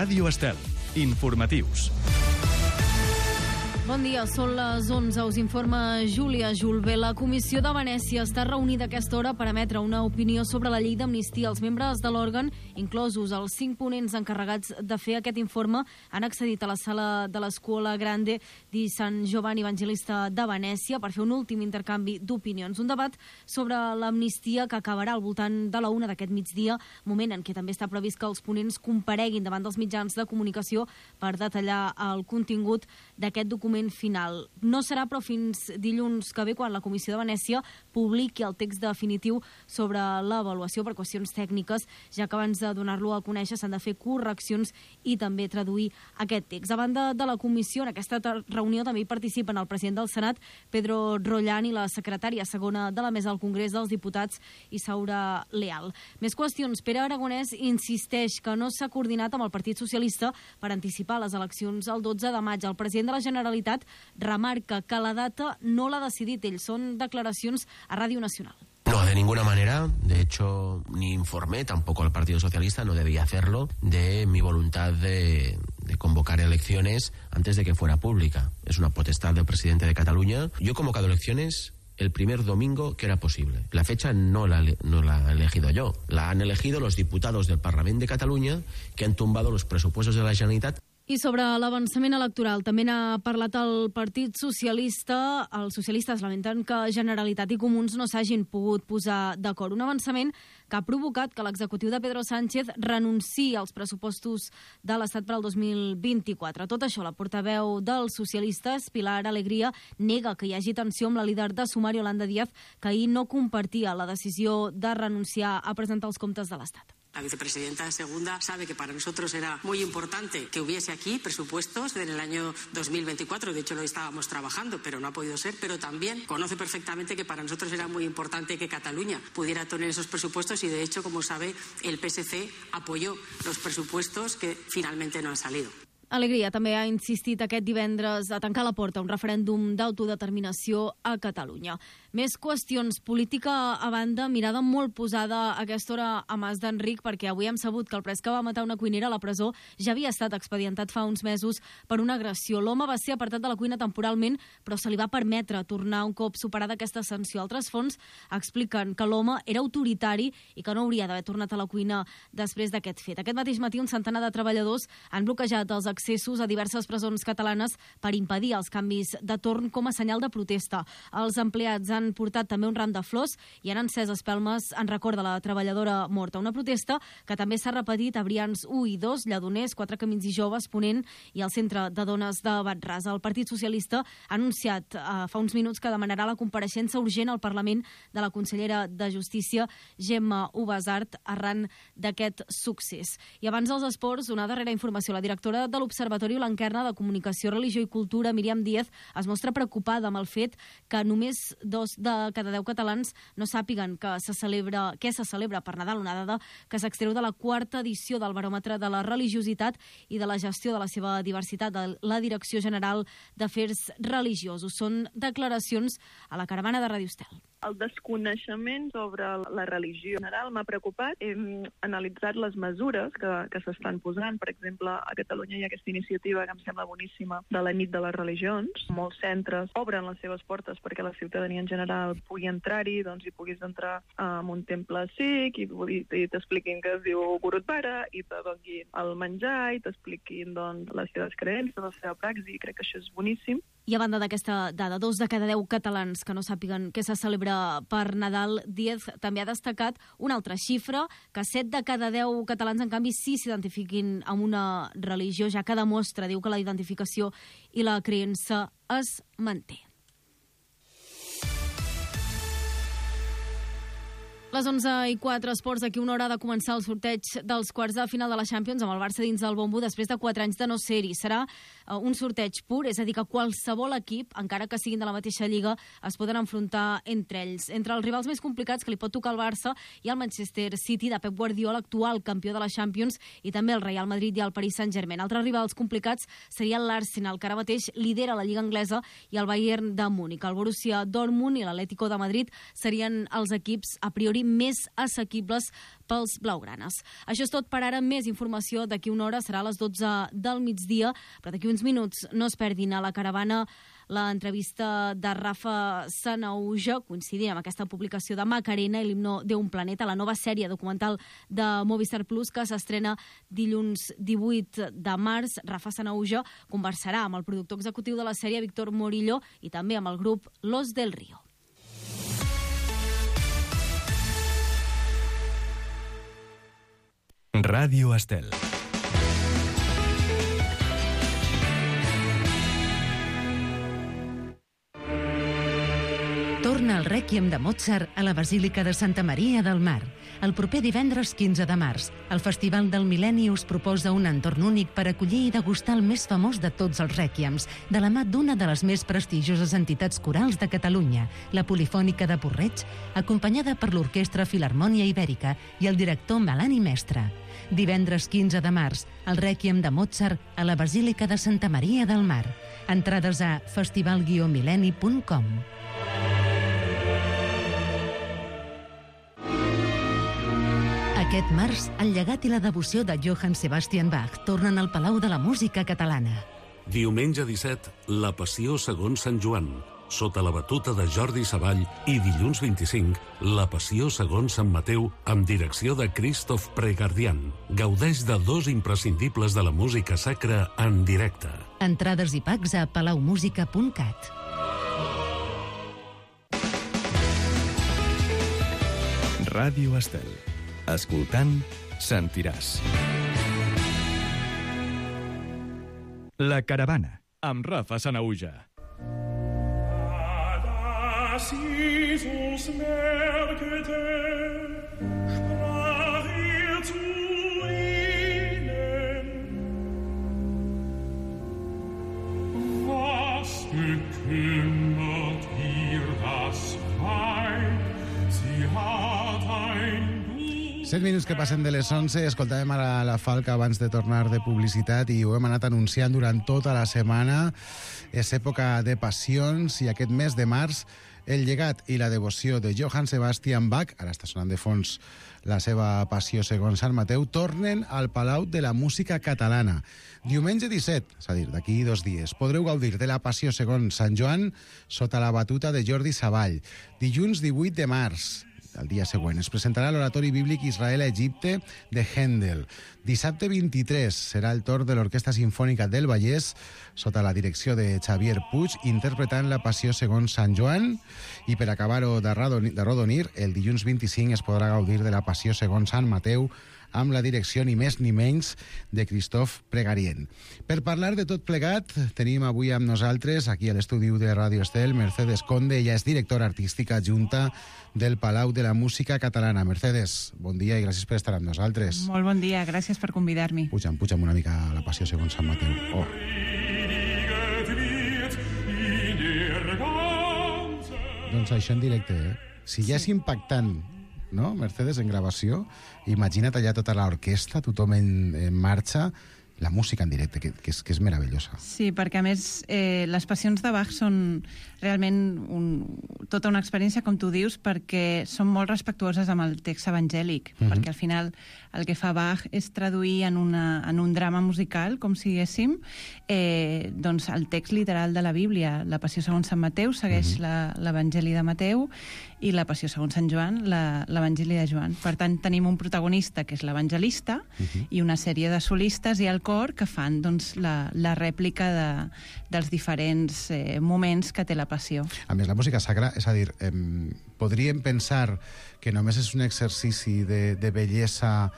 Ràdio Estel. Informatius. Bon dia, són les 11. Us informa Júlia Julbé. La Comissió de Venècia està reunida a aquesta hora per emetre una opinió sobre la llei d'amnistia. Els membres de l'òrgan, inclosos els 5 ponents encarregats de fer aquest informe, han accedit a la sala de l'Scuola Grande di San Giovanni Evangelista de Venècia per fer un últim intercanvi d'opinions. Un debat sobre l'amnistia que acabarà al voltant de la 1 d'aquest migdia, moment en què també està previst que els ponents compareguin davant dels mitjans de comunicació per detallar el contingut d'aquest document final. No serà, però, fins dilluns que ve, quan la Comissió de Venècia publiqui el text definitiu sobre l'avaluació per qüestions tècniques, ja que abans de donar-lo a conèixer s'han de fer correccions i també traduir aquest text. A banda de la Comissió, en aquesta reunió també hi participen el president del Senat, Pedro Rollán, i la secretària segona de la Mesa del Congrés dels Diputats, Isaura Leal. Més qüestions. Pere Aragonès insisteix que no s'ha coordinat amb el Partit Socialista per anticipar les eleccions el 12 de maig. El president de la Generalitat remarca que la data no l'ha decidit ell. Són declaracions a Ràdio Nacional. No, de ninguna manera. De hecho, ni informé tampoco al Partido Socialista, no debía hacerlo, de mi voluntad de convocar elecciones antes de que fuera pública. Es una potestad del presidente de Cataluña. Yo he convocado elecciones el primer domingo que era posible. La fecha no la he elegido yo. La han elegido los diputados del Parlament de Catalunya, que han tumbado los presupuestos de la Generalitat. I sobre l'avançament electoral també n'ha parlat el Partit Socialista. Els socialistes lamenten que Generalitat i Comuns no s'hagin pogut posar d'acord. Un avançament que ha provocat que l'executiu de Pedro Sánchez renunciï als pressupostos de l'Estat per al 2024. Tot això, la portaveu dels socialistes, Pilar Alegría, nega que hi hagi tensió amb la líder de Sumar, Yolanda Díaz, que ahir no compartia la decisió de renunciar a presentar els comptes de l'Estat. La vicepresidenta segunda sabe que para nosotros era muy importante que hubiese aquí presupuestos en el año 2024. De hecho, lo estábamos trabajando, pero no ha podido ser. Pero también conoce perfectamente que para nosotros era muy importante que Cataluña pudiera tener esos presupuestos y, de hecho, como sabe, el PSC apoyó los presupuestos que finalmente no han salido. Alegria també ha insistit aquest divendres a tancar la porta a un referèndum d'autodeterminació a Catalunya. Més qüestions. Política a banda, mirada molt posada a aquesta hora a Mas d'Enric, perquè avui hem sabut que el pres que va matar una cuinera a la presó ja havia estat expedientat fa uns mesos per una agressió. L'home va ser apartat de la cuina temporalment, però se li va permetre tornar un cop superada aquesta sanció. Altres fonts expliquen que l'home era autoritari i que no hauria d'haver tornat a la cuina després d'aquest fet. Aquest mateix matí un centenar de treballadors han bloquejat els accessos a diverses presons catalanes per impedir els canvis de torn com a senyal de protesta. Els empleats han portat també un ram de flors i han encès espelmes en record de la treballadora morta. Una protesta que també s'ha repetit a Brians 1 i 2, Lledoners, 4 Camins i Joves, Ponent i el Centre de Dones de Batràs. El Partit Socialista ha anunciat fa uns minuts que demanarà la compareixença urgent al Parlament de la consellera de Justícia, Gemma Ubasart, arran d'aquest succés. I abans dels esports, una darrera informació. La directora de l'Observatori Blanquerna de Comunicació, Religió i Cultura, Míriam Díaz, es mostra preocupada amb el fet que només 2 de cada 10 catalans no sàpiguen què se celebra per Nadal, una dada que s'extreu de la 4ª edició del Baròmetre de la Religiositat i de la Gestió de la seva diversitat de la Direcció General d'Afers Religiosos. Són declaracions a la caravana de Ràdio Estel. El desconeixement sobre la religió en general m'ha preocupat. Hem analitzat les mesures que s'estan posant. Per exemple, a Catalunya hi ha aquesta iniciativa que em sembla boníssima de la nit de les religions. Molts centres obren les seves portes perquè la ciutadania en general pugui entrar-hi, doncs hi puguis entrar en un temple sikh i t'expliquin que es diu Gurudwara i te donin el menjar i t'expliquin doncs, les seves creences, la seva praxi. Crec que això és boníssim. I a banda d'aquesta dada, 2 de cada 10 catalans que no sàpiguen què se celebra per Nadal, Díaz també ha destacat una altra xifra, que 7 de cada 10 catalans, en canvi, sí s'identifiquin amb una religió, ja que demostra, diu, que la identificació i la creença es manté. Les 11:04, esports. D'aquí una hora ha de començar el sorteig dels quarts de final de la Champions amb el Barça dins del bombo després de 4 anys de no ser-hi. Serà un sorteig pur, és a dir, que qualsevol equip, encara que siguin de la mateixa lliga, es poden enfrontar entre ells. Entre els rivals més complicats que li pot tocar el Barça hi ha el Manchester City de Pep Guardiola, actual campió de la Champions, i també el Real Madrid i el Paris Saint-Germain. Altres rivals complicats serien l'Arsenal, que ara mateix lidera la Lliga Anglesa, i el Bayern de Múnich. El Borussia Dortmund i l'Atlético de Madrid serien els equips a priori d'escenari més assequibles pels blaugranes. Això és tot per ara. Més informació d'aquí una hora, serà a les 12 del migdia, però d'aquí uns minuts no es perdin a la caravana l'entrevista de Rafa Sanahuja, coincidint amb aquesta publicació de Macarena i l'himno d'un planeta, la nova sèrie documental de Movistar Plus que s'estrena dilluns 18 de març. Rafa Sanahuja conversarà amb el productor executiu de la sèrie, Víctor Morillo, i també amb el grup Los del Río. Ràdio Estel. Torna el Rèquiem de Mozart a la Basílica de Santa Maria del Mar. El proper divendres 15 de març, el Festival del Mil·lenni us proposa un entorn únic per acollir i degustar el més famós de tots els rèquiems, de la mà d'una de les més prestigioses entitats corals de Catalunya, la Polifònica de Porreig, acompanyada per l'Orquestra Filharmònia Ibèrica i el director Melani Mestre. Divendres 15 de març, el Rèquiem de Mozart a la Basílica de Santa Maria del Mar. Entrades a festival-millenni.com. Aquest març, el llegat i la devoció de Johann Sebastian Bach tornen al Palau de la Música Catalana. Diumenge 17, la Passió segons Sant Joan, sota la batuta de Jordi Savall, i dilluns 25, la Passió segons Sant Mateu, amb direcció de Christoph Pregardian. Gaudeix de 2 imprescindibles de la música sacra en directe. Entrades i packs a palaumusica.cat. Ràdio Estel. Escoltant, sentiràs. La caravana, amb Rafa Sanahuja. Was bekümmert ihr das Weib? Sie hat ein 7 minuts que passen de les 11, escoltàvem ara la Falca abans de tornar de publicitat i ho hem anat anunciant durant tota la setmana. És època de passions i aquest mes de març el llegat i la devoció de Johann Sebastian Bach, ara està sonant de fons la seva Passió segons Sant Mateu, tornen al Palau de la Música Catalana. Diumenge 17, és a dir, d'aquí 2 dies, podreu gaudir de la Passió segons Sant Joan sota la batuta de Jordi Savall. Dilluns 18 de març, el dia següent, es presentarà l'oratori bíblic Israel-Egipte de Händel. Dissabte 23 serà el torn de l'Orquestra Simfònica del Vallès, sota la direcció de Xavier Puig, interpretant la Passió segons Sant Joan. I per acabar-ho d'arrodonir, el dilluns 25 es podrà gaudir de la Passió segons Sant Mateu, amb la direcció ni més ni menys de Christoph Pregarien. Per parlar de tot plegat, tenim avui amb nosaltres, aquí a l'estudi de Ràdio Estel, Mercedes Conde. Ella és directora artística adjunta del Palau de la Música Catalana. Mercedes, bon dia i gràcies per estar amb nosaltres. Molt bon dia, gràcies per convidar-me. Puja'm una mica a la Passió segons Sant Mateu. Oh. Doncs això en directe, eh? Si ja és impactant, no, Mercedes, en gravació, imagina't allà tota l'orquestra, tothom en marxa, la música en directe, que és meravellosa. Sí, perquè a més les passions de Bach són realment tota una experiència, com tu dius, perquè són molt respectuoses amb el text evangèlic, perquè al final el que fa Bach és traduir en un drama musical, com si diguéssim, doncs el text literal de la Bíblia. La Passió segons Sant Mateu segueix l'Evangeli de Mateu i la Passió segons Sant Joan, l'Evangeli de Joan. Per tant, tenim un protagonista, que és l'evangelista, i una sèrie de solistes i el cor que fan doncs, la rèplica dels diferents moments que té la Passió. A més, la música sacra, és a dir, podríem pensar que només és un exercici de bellesa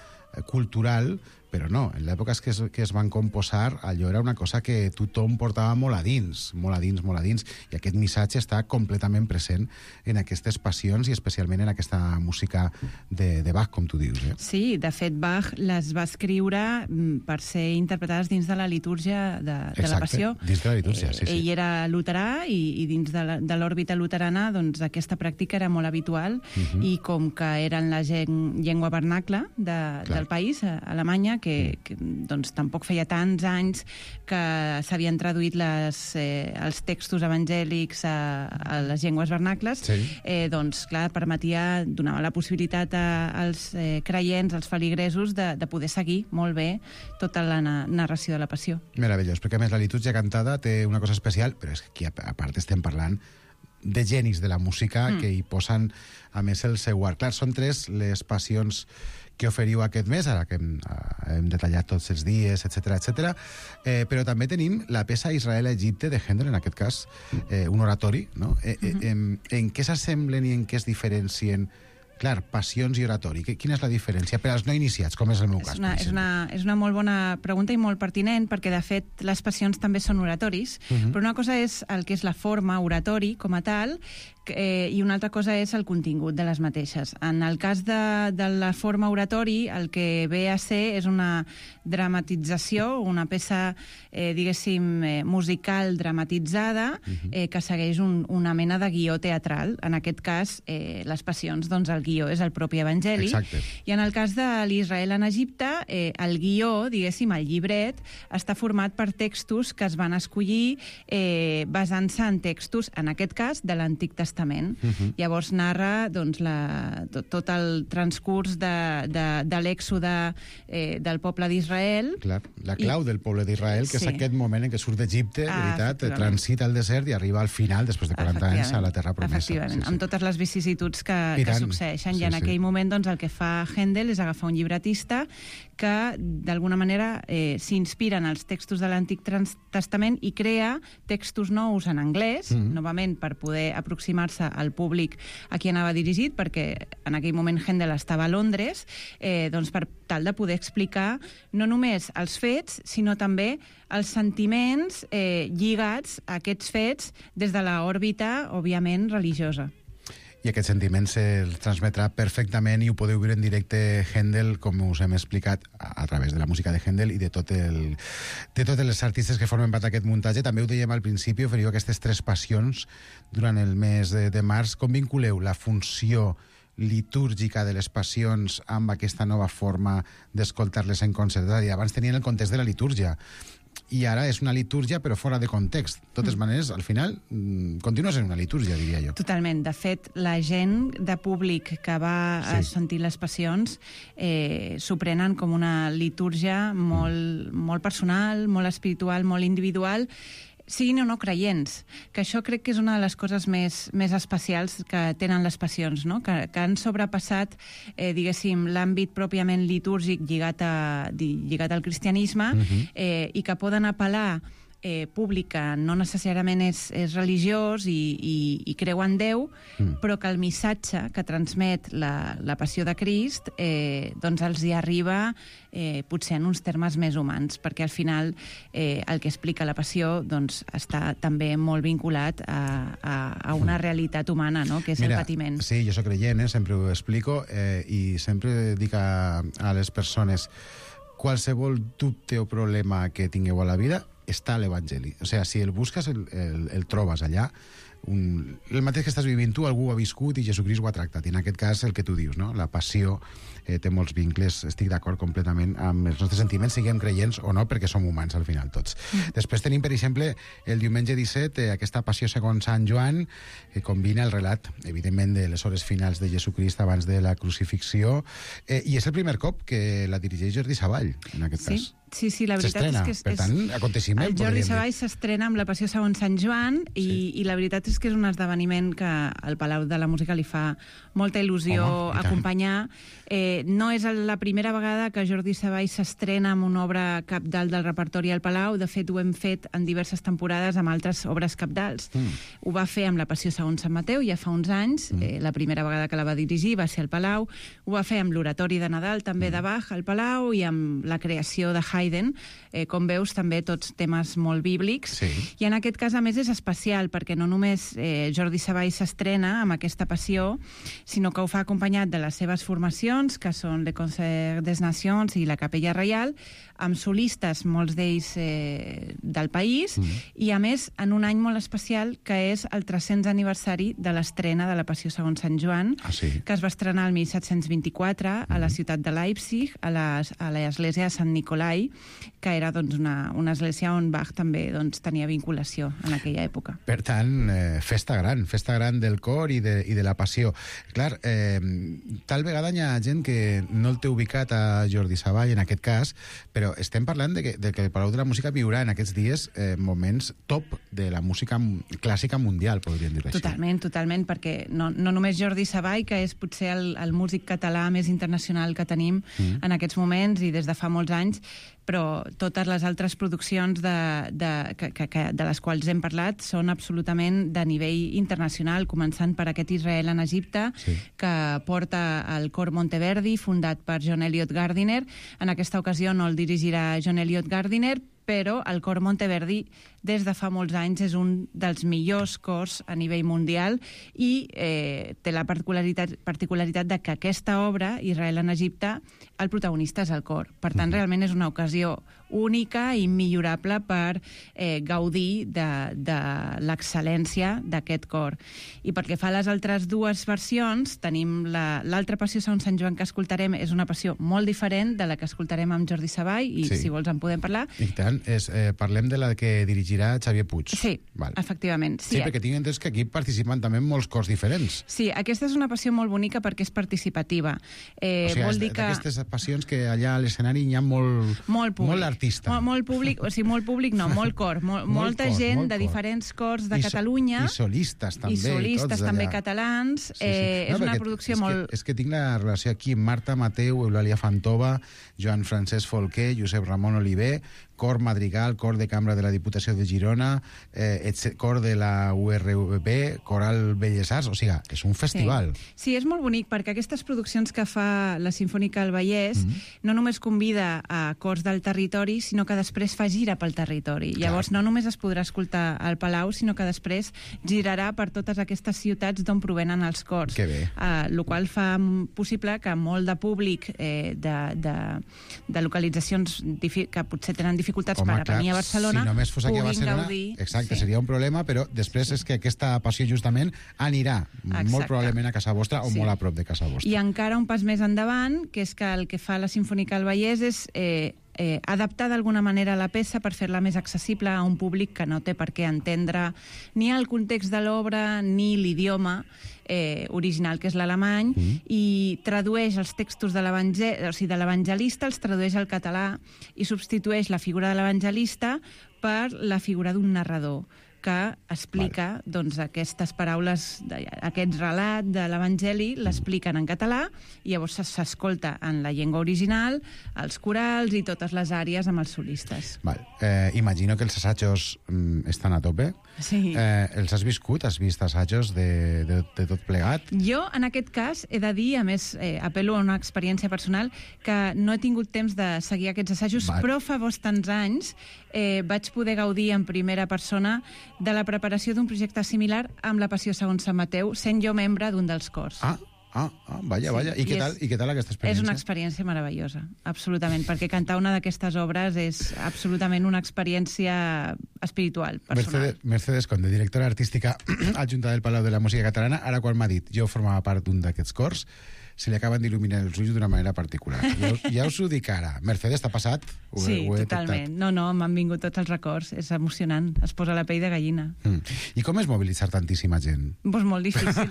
cultural, però no, en l'època que es van composar, allò era una cosa que tothom portava molt a dins, i aquest missatge està completament present en aquestes passions i especialment en aquesta música de Bach, com tu dius. Sí, de fet, Bach les va escriure per ser interpretades dins de la litúrgia de la Passió. Dins de la litúrgia, sí. Ell era luterà i dins de l'òrbita luterana doncs, aquesta pràctica era molt habitual i com que era en la llengua vernacla del país, Alemanya, que doncs, tampoc feia tants anys que s'havien traduït els textos evangèlics a les llengües vernacles, doncs, clar, donava la possibilitat als creients, als feligresos, de poder seguir molt bé tota la narració de la Passió. Meravellós, perquè a més la litúrgia cantada té una cosa especial, però és que aquí a part estem parlant de genis de la música que hi posen, a més, el seu art. Clar, són 3 les passions que oferiu aquest mes, ara que hem detallat tots els dies, etc. Però també tenim la peça Israel-Egipte de Händel, en aquest cas, un oratori, no? En què s'assemblen i en què es diferencien? Clar, passions i oratori. Quina és la diferència per als no iniciats, com és el meu cas? És una molt bona pregunta i molt pertinent, perquè, de fet, les passions també són oratoris, però una cosa és el que és la forma oratori com a tal, i una altra cosa és el contingut de les mateixes. En el cas de la forma oratori, el que ve a ser és una dramatització, una peça, diguéssim, musical dramatitzada, que segueix una mena de guió teatral. En aquest cas, les passions, doncs el guió és el propi evangeli. Exacte. I en el cas de l'Israel en Egipte, el guió, diguéssim, el llibret, està format per textos que es van escollir basant-se en textos, en aquest cas, de l'Antic Testament. Llavors narra doncs, tot el transcurs de l'èxode del poble d'Israel. Clar, la clau del poble d'Israel, que és aquest moment en què surt d'Egipte, veritat, transita el desert i arriba al final, després de 40 anys, a la terra promesa. Efectivament, amb totes les vicissituds que succeeixen. I en aquell moment, doncs, el que fa Händel és agafar un llibretista que, d'alguna manera, s'inspira en els textos de l'Antic Testament i crea textos nous en anglès, novament per poder aproximar-se al públic a qui anava dirigit, perquè en aquell moment Händel estava a Londres, doncs per tal de poder explicar no només els fets, sinó també els sentiments lligats a aquests fets des de l'òrbita, òbviament, religiosa. I aquest sentiment se'l transmetrà perfectament i ho podeu veure en directe Händel, com us hem explicat, a través de la música de Händel i de totes les artistes que formen part d'aquest muntatge. També ho dèiem al principi, oferiu aquestes 3 passions durant el mes de març. Com vinculeu la funció litúrgica de les passions amb aquesta nova forma d'escoltar-les en concert? És a dir, abans tenien el context de la litúrgia, i ara és una litúrgia però fora de context. De totes maneres, al final, continua sent una litúrgia, diria jo. Totalment. De fet, la gent de públic que va a sentir les passions s'ho prenen com una litúrgia molt personal, molt espiritual, molt individual, siguin o no creients, que això crec que és una de les coses més especials que tenen les passions, no? Que han sobrepassat, diguéssim, l'àmbit pròpiament litúrgic lligat al cristianisme, i que poden apel·lar públic que no necessàriament és religiós i creu en Déu, però que el missatge que transmet la passió de Crist doncs els hi arriba potser en uns termes més humans, perquè al final el que explica la passió doncs està també molt vinculat a una realitat humana, no? Que és el patiment. Sí, jo soc creient, sempre ho explico, i sempre dic a les persones: qualsevol dubte o problema que tingueu a la vida està a l'Evangeli. O sigui, si el busques, el trobes allà. El mateix que estàs vivint tu, algú ho ha viscut i Jesucrist ho ha tractat. I en aquest cas, el que tu dius, no? La passió té molts vincles, estic d'acord completament amb els nostres sentiments, siguem creients o no, perquè som humans al final tots. Després tenim, per exemple, el diumenge 17, aquesta passió segons Sant Joan, que combina el relat, evidentment, de les hores finals de Jesucrist abans de la crucifixió, i és el primer cop que la dirigeix Jordi Savall, en aquest cas. Sí, la veritat és que per tant, aconteixement. El Jordi Savall s'estrena amb la Passió segons Sant Joan i la veritat és que és un esdeveniment que al Palau de la Música li fa molta il·lusió acompanyar. No és la primera vegada que Jordi Savall s'estrena amb una obra cabdal del repertori al Palau. De fet, ho hem fet en diverses temporades amb altres obres cabdals. Ho va fer amb la Passió segons Sant Mateu ja fa uns anys. La primera vegada que la va dirigir va ser al Palau. Ho va fer amb l'Oratori de Nadal, també de Bach, al Palau, i amb la creació de Haydn Haydn, com veus, també tots temes molt bíblics, i en aquest cas, a més, és especial, perquè no només Jordi Savall s'estrena amb aquesta passió, sinó que ho fa acompanyat de les seves formacions, que són Le Concert des Nations i la Capella Reial, amb solistes, molts d'ells del país, i a més en un any molt especial que és el 300 aniversari de l'estrena de la Passió segons Sant Joan, que es va estrenar el 1724 a la ciutat de Leipzig, a l'església de Sant Nicolai, que era doncs, una església on Bach també doncs, tenia vinculació en aquella època. Per tant, festa gran del cor i de la passió. Clar, tal vegada hi ha gent que no el té ubicat a Jordi Savall, en aquest cas, però estem parlant de que el Palau de la Música viurà en aquests dies moments top de la música clàssica mundial, podríem dir-ho així. Totalment, perquè no només Jordi Savall, que és potser el músic català més internacional que tenim en aquests moments i des de fa molts anys, però totes les altres produccions de les quals hem parlat són absolutament de nivell internacional, començant per aquest Israel en Egipte, que porta el cor Monteverdi, fundat per John Eliot Gardiner. En aquesta ocasió no el dirigirà John Eliot Gardiner, però el cor Monteverdi des de fa molts anys és un dels millors cors a nivell mundial i té la particularitat de que aquesta obra, Israel en Egipte, el protagonista és el cor. Per tant, realment és una ocasió única i immillorable per gaudir de l'excel·lència d'aquest cor. I pel que fa a les altres dues versions, tenim l'altra passió segons Sant Joan que escoltarem, és una passió molt diferent de la que escoltarem amb Jordi Savall, i si vols en podem parlar. I tant, parlem de la que dirigirà Xavier Puig. Sí, efectivament. Sí, perquè tinc entès que aquí participen també molts cors diferents. Sí, aquesta és una passió molt bonica perquè és participativa. Vol dir que d'aquestes passions que allà a l'escenari hi ha molt artista. Molt públic, o sigui, molt públic no, molt cor. Molta gent de diferents cors de Catalunya. I solistes també. I solistes també catalans. És una producció molt... És que tinc la relació aquí, Marta Mateu, Eulàlia Fantova, Joan Francesc Folquer, Josep Ramon Oliver, cor Madrigal, cor de cambra de la Diputació de Girona, cor de la URB, coral Belles Arts, o sigui, és un festival. Sí, és molt bonic, perquè aquestes produccions que fa la Simfònica del Vallès no només convida a cors del territori, sinó que després fa gira pel territori. Llavors, no només es podrà escoltar al Palau, sinó que després girarà per totes aquestes ciutats d'on provenen els cors. Que bé. El qual fa possible que molt de públic de localitzacions que potser tenen dificultats per venir a Barcelona, si només fos aquí a Barcelona, gaudir. Exacte, seria un problema, però després és que aquesta passió justament anirà molt probablement a casa vostra o molt a prop de casa vostra. I encara un pas més endavant, que és que el que fa la Simfònica del Vallès és adaptar d'alguna manera la peça per fer-la més accessible a un públic que no té per què entendre ni el context de l'obra ni l'idioma original, que és l'alemany, i tradueix els textos de l'evangelista, els tradueix al català i substitueix la figura de l'evangelista per la figura d'un narrador que explica doncs, aquestes paraules, aquest relat de l'Evangeli, l'expliquen en català i llavors s'escolta en la llengua original, els corals i totes les àrees amb els solistes. Imagino que els assajos estan a tope. Sí. Els has viscut? Has vist assajos de tot plegat? Jo, en aquest cas, he de dir, a més, apel·lo a una experiència personal, que no he tingut temps de seguir aquests assajos, però fa bastants anys vaig poder gaudir en primera persona de la preparació d'un projecte similar amb la Passió segons Sant Mateu, sent jo membre d'un dels cors. Vaja. I què tal aquesta experiència? És una experiència meravellosa, absolutament, perquè cantar una d'aquestes obres és absolutament una experiència espiritual, personal. Mercedes Conde, directora artística adjunta del Palau de la Música Catalana, ara quan m'ha dit jo formava part d'un d'aquests cors, se li acaben d'il·luminar els ulls d'una manera particular. Ja us ho dic ara. Mercedes, t'ha passat? Sí, totalment. No, m'han vingut tots els records. És emocionant. Es posa la pell de gallina. I com és mobilitzar tantíssima gent? Doncs molt difícil.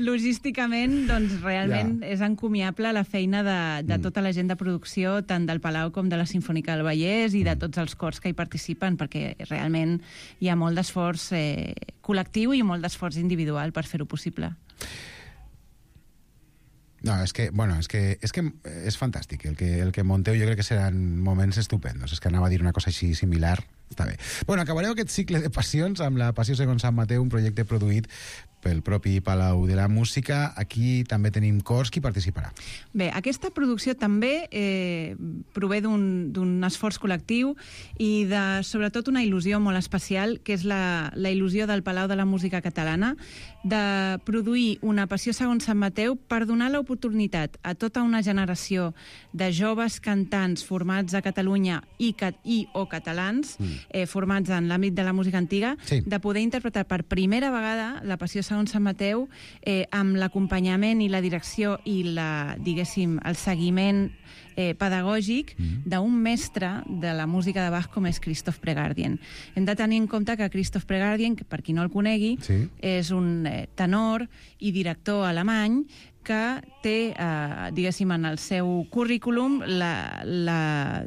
Logísticament, doncs, realment és encomiable la feina de tota la gent de producció, tant del Palau com de la Simfònica del Vallès i de tots els cors que hi participen, perquè realment hi ha molt d'esforç col·lectiu i molt d'esforç individual per fer-ho possible. No, és que és fantàstic. El que monteu jo crec que seran moments estupendos. És que anava a dir una cosa així similar, Està bé. Bueno, acabareu aquest cicle de passions amb la Passió segons Sant Mateu, un projecte produït pel propi Palau de la Música. Aquí també tenim cors. Qui participarà? Bé, aquesta producció també prové d'un esforç col·lectiu i de, sobretot, una il·lusió molt especial, que és la il·lusió del Palau de la Música Catalana, de produir una Passió segons Sant Mateu per donar l'oportunitat a tota una generació de joves cantants formats a Catalunya i o catalans, formats en l'àmbit de la música antiga, de poder interpretar per primera vegada la Passió segons Sant Mateu amb l'acompanyament i la direcció i diguéssim, el seguiment pedagògic d'un mestre de la música de Bach com és Christoph Pregardien. Hem de tenir en compte que Christoph Pregardien, que per qui no el conegui, és un tenor i director alemany que té, diguéssim, en el seu currículum,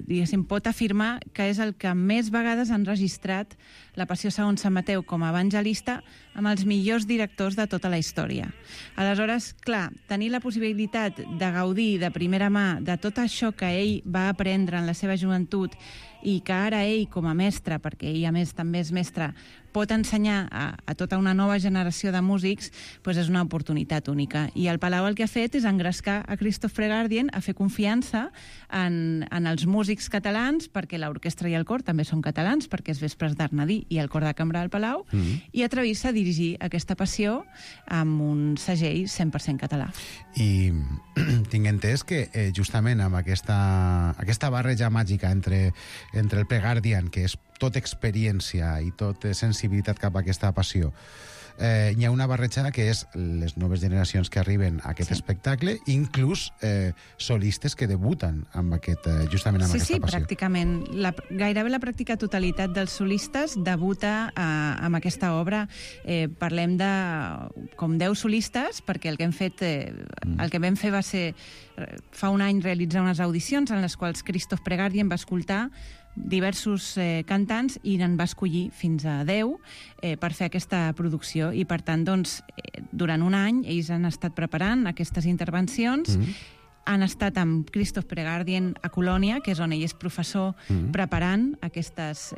diguéssim, pot afirmar que és el que més vegades han registrat la Passió segons Sant Mateu com a evangelista amb els millors directors de tota la història. Aleshores, clar, tenir la possibilitat de gaudir de primera mà de tot això que ell va aprendre en la seva joventut i que ara ell, com a mestre, perquè ell a més també és mestre, pot ensenyar a tota una nova generació de músics, doncs és una oportunitat única. I el Palau el que ha fet és engrescar a Christoph Pregardien a fer confiança en els músics catalans, perquè l'orquestra i el cor també són catalans, perquè és Vespres d'Arnadí i el cor de cambra del Palau, i atrevir-se a dirigir aquesta passió amb un segell 100% català. I tinc entès que justament amb aquesta barreja màgica entre el Pregardien, que és tot experiència i tot sensibilitat cap a aquesta passió, hi ha una barreja que és les noves generacions que arriben a aquest espectacle, inclús solistes que debuten amb justament amb aquesta passió. Sí, pràcticament. Gairebé la pràctica totalitat dels solistes debuta amb aquesta obra. Parlem de com 10 solistes, perquè el que vam fer va ser fa un any realitzar unes audicions en les quals Christoph Pregardien va escoltar diversos cantants i n'en va escollir fins a 10 per fer aquesta producció i per tant doncs durant un any ells han estat preparant aquestes intervencions, han estat amb Christoph Pregardien a Colònia, que és on ell és professor, preparant aquestes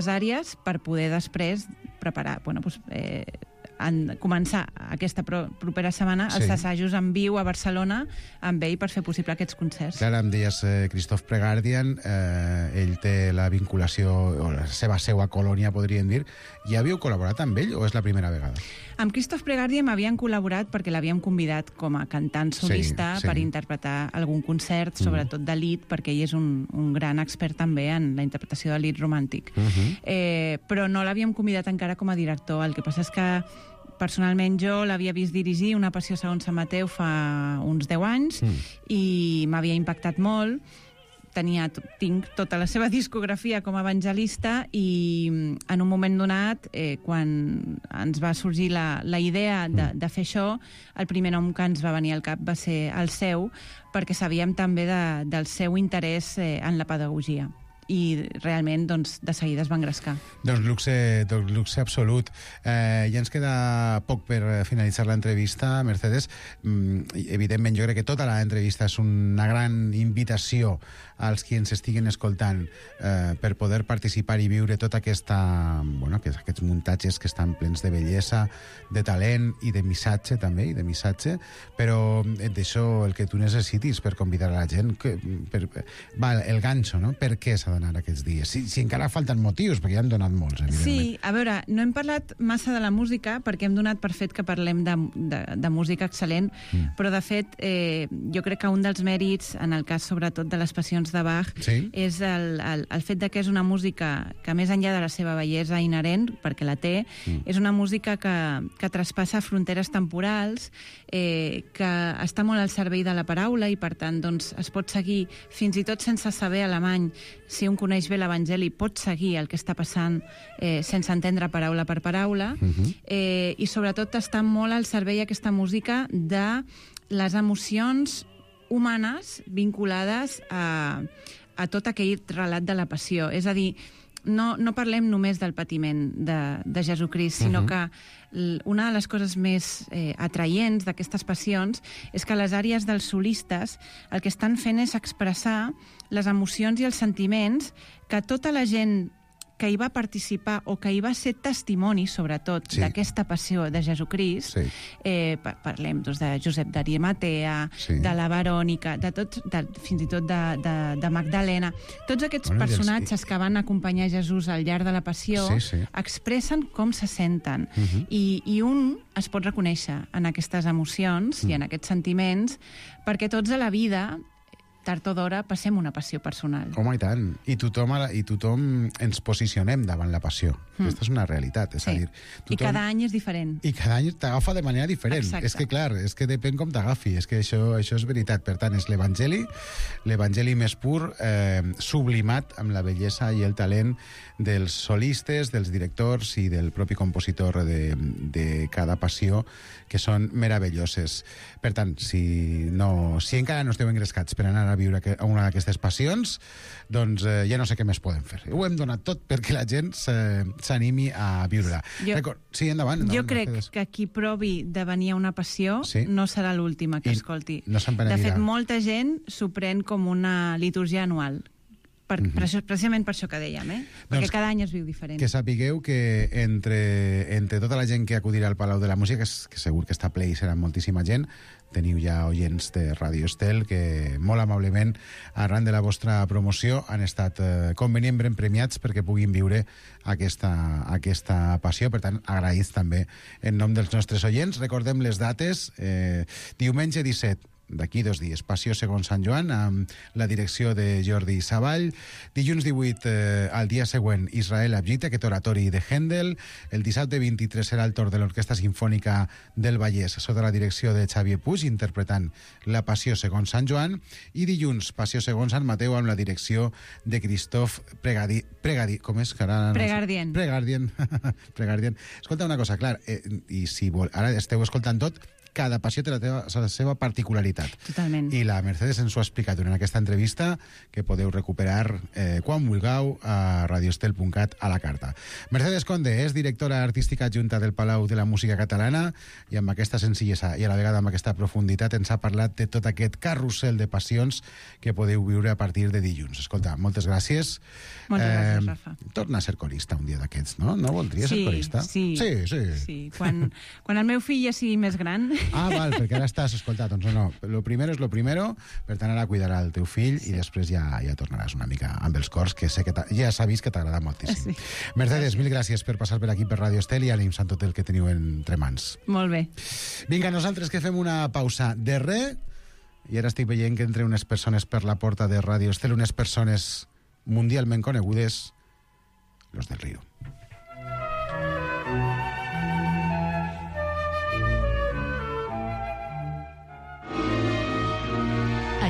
àrees per poder després preparar, començar aquesta propera setmana els assajos en viu a Barcelona amb ell per fer possible aquests concerts. Clar, em deies Christoph Pregardien, ell té la vinculació, o la seva seu a Colònia, podríem dir. Ja havíeu col·laborat amb ell o és la primera vegada? Amb Christoph Pregardien m'havien col·laborat perquè l'havíem convidat com a cantant solista per interpretar algun concert, sobretot de lied, perquè ell és un gran expert també en la interpretació de lied romàntic. Però no l'havíem convidat encara com a director. El que passa és que personalment jo l'havia vist dirigir una Passió segons Sant Mateu fa uns 10 anys i m'havia impactat molt. Tinc tota la seva discografia com a evangelista i en un moment donat, quan ens va sorgir la idea de fer això, el primer nom que ens va venir al cap va ser el seu, perquè sabíem també del seu interès en la pedagogia. I realment, doncs, de seguida es va engrescar. Doncs luxe absolut. Ja ens queda poc per finalitzar l'entrevista, Mercedes. Evidentment, jo crec que tota l'entrevista és una gran invitació als qui ens estiguen escoltant per poder participar i viure tota aquests muntatges que estan plens de bellesa, de talent i de missatge també, però d'això el que tu necessitis per convidar a la gent, el ganxo, no? Per què s'ha d'anar aquests dies? Si encara falten motius, perquè ja han donat molts, evidentment. Sí, a veure, no hem parlat massa de la música perquè hem donat per fet que parlem de música excel·lent, però de fet jo crec que un dels mèrits, en el cas sobretot de les passions de Bach, és el fet que és una música que més enllà de la seva bellesa inherent, perquè la té, és una música que traspassa fronteres temporals, que està molt al servei de la paraula i per tant doncs, es pot seguir, fins i tot sense saber alemany, si un coneix bé l'Evangeli, pot seguir el que està passant sense entendre paraula per paraula, i sobretot està molt al servei aquesta música de les emocions humanes vinculades a tot aquell relat de la passió. És a dir, no parlem només del patiment de Jesucrist, sinó que una de les coses més atraients d'aquestes passions és que les àrees dels solistes el que estan fent és expressar les emocions i els sentiments que tota la gent que hi va participar o que hi va ser testimoni, sobretot, d'aquesta passió de Jesucrist. Parlem de Josep d'Arimatea, de la Verònica, fins i tot de Magdalena. Tots aquests personatges que van acompanyar Jesús al llarg de la passió expressen com se senten. I un es pot reconèixer en aquestes emocions i en aquests sentiments, perquè tots a la vida, tard o d'hora, passem una passió personal. Home, i tant. I tothom ens posicionem davant la passió. Aquesta és una realitat. És a dir, I cada any és diferent. I cada any t'agafa de manera diferent. Exacte. És que, clar, és que depèn com t'agafi. És que això és veritat. Per tant, és l'evangeli més pur, sublimat amb la bellesa i el talent dels solistes, dels directors i del propi compositor de cada passió, que són meravelloses. Per tant, si encara no esteu engrescats per anar a viure a una d'aquestes passions, doncs ja no sé què més podem fer. Ho hem donat tot perquè la gent s'animi a viure-la. Sí, endavant. Jo crec que qui provi de venir a una passió no serà l'última que escolti. No se'n penedirà. De fet, molta gent s'ho pren com una litúrgia anual. Precisament per això que dèiem, perquè cada any es viu diferent. Que sapigueu que entre tota la gent que acudirà al Palau de la Música, que segur que està ple i serà moltíssima gent, teniu ja oients de Radio Estel que molt amablement, arran de la vostra promoció, han estat convenientment premiats perquè puguin viure aquesta passió. Per tant, agraïts també en nom dels nostres oients. Recordem les dates. Diumenge 17, d'aquí 2 dies, Passió segons Sant Joan, amb la direcció de Jordi Savall. Dilluns 18, al dia següent, Israel Abgita, aquest oratori de Händel. El dissabte 23 serà el torn de l'Orquestra Simfònica del Vallès, sota la direcció de Xavier Puig, interpretant la Passió segons Sant Joan. I dilluns, Passió segons Sant Mateu, amb la direcció de Christophe Pregardien. Escolta una cosa, clar, i si ara esteu escoltant tot, cada passió té la seva particularitat. Totalment. I la Mercedes ens ho ha explicat durant aquesta entrevista, que podeu recuperar quan vulgueu a radioestel.cat a la carta. Mercedes Conde és directora artística adjunta del Palau de la Música Catalana i amb aquesta senzillesa i a la vegada amb aquesta profunditat ens ha parlat de tot aquest carrusel de passions que podeu viure a partir de dilluns. Escolta, moltes gràcies. Moltes gràcies, Rafa. Torna a ser corista un dia d'aquests, no? No voldria ser corista? Sí. Quan el meu fill ja sigui més gran... Ah, val, perquè ara estàs, escolta, doncs no, lo primero és lo primero, per tant ara cuidarà el teu fill i després ja tornaràs una mica amb els cors, que sé que ja s'ha vist que t'agrada moltíssim. Mercedes, mil gràcies per passar per aquí per Radio Estel i ànims en tot el que teniu entre mans. Molt bé. Vinga, nosaltres que fem una pausa de res i ara estic veient que entre unes persones per la porta de Radio Estel, unes persones mundialment conegudes, los del Río.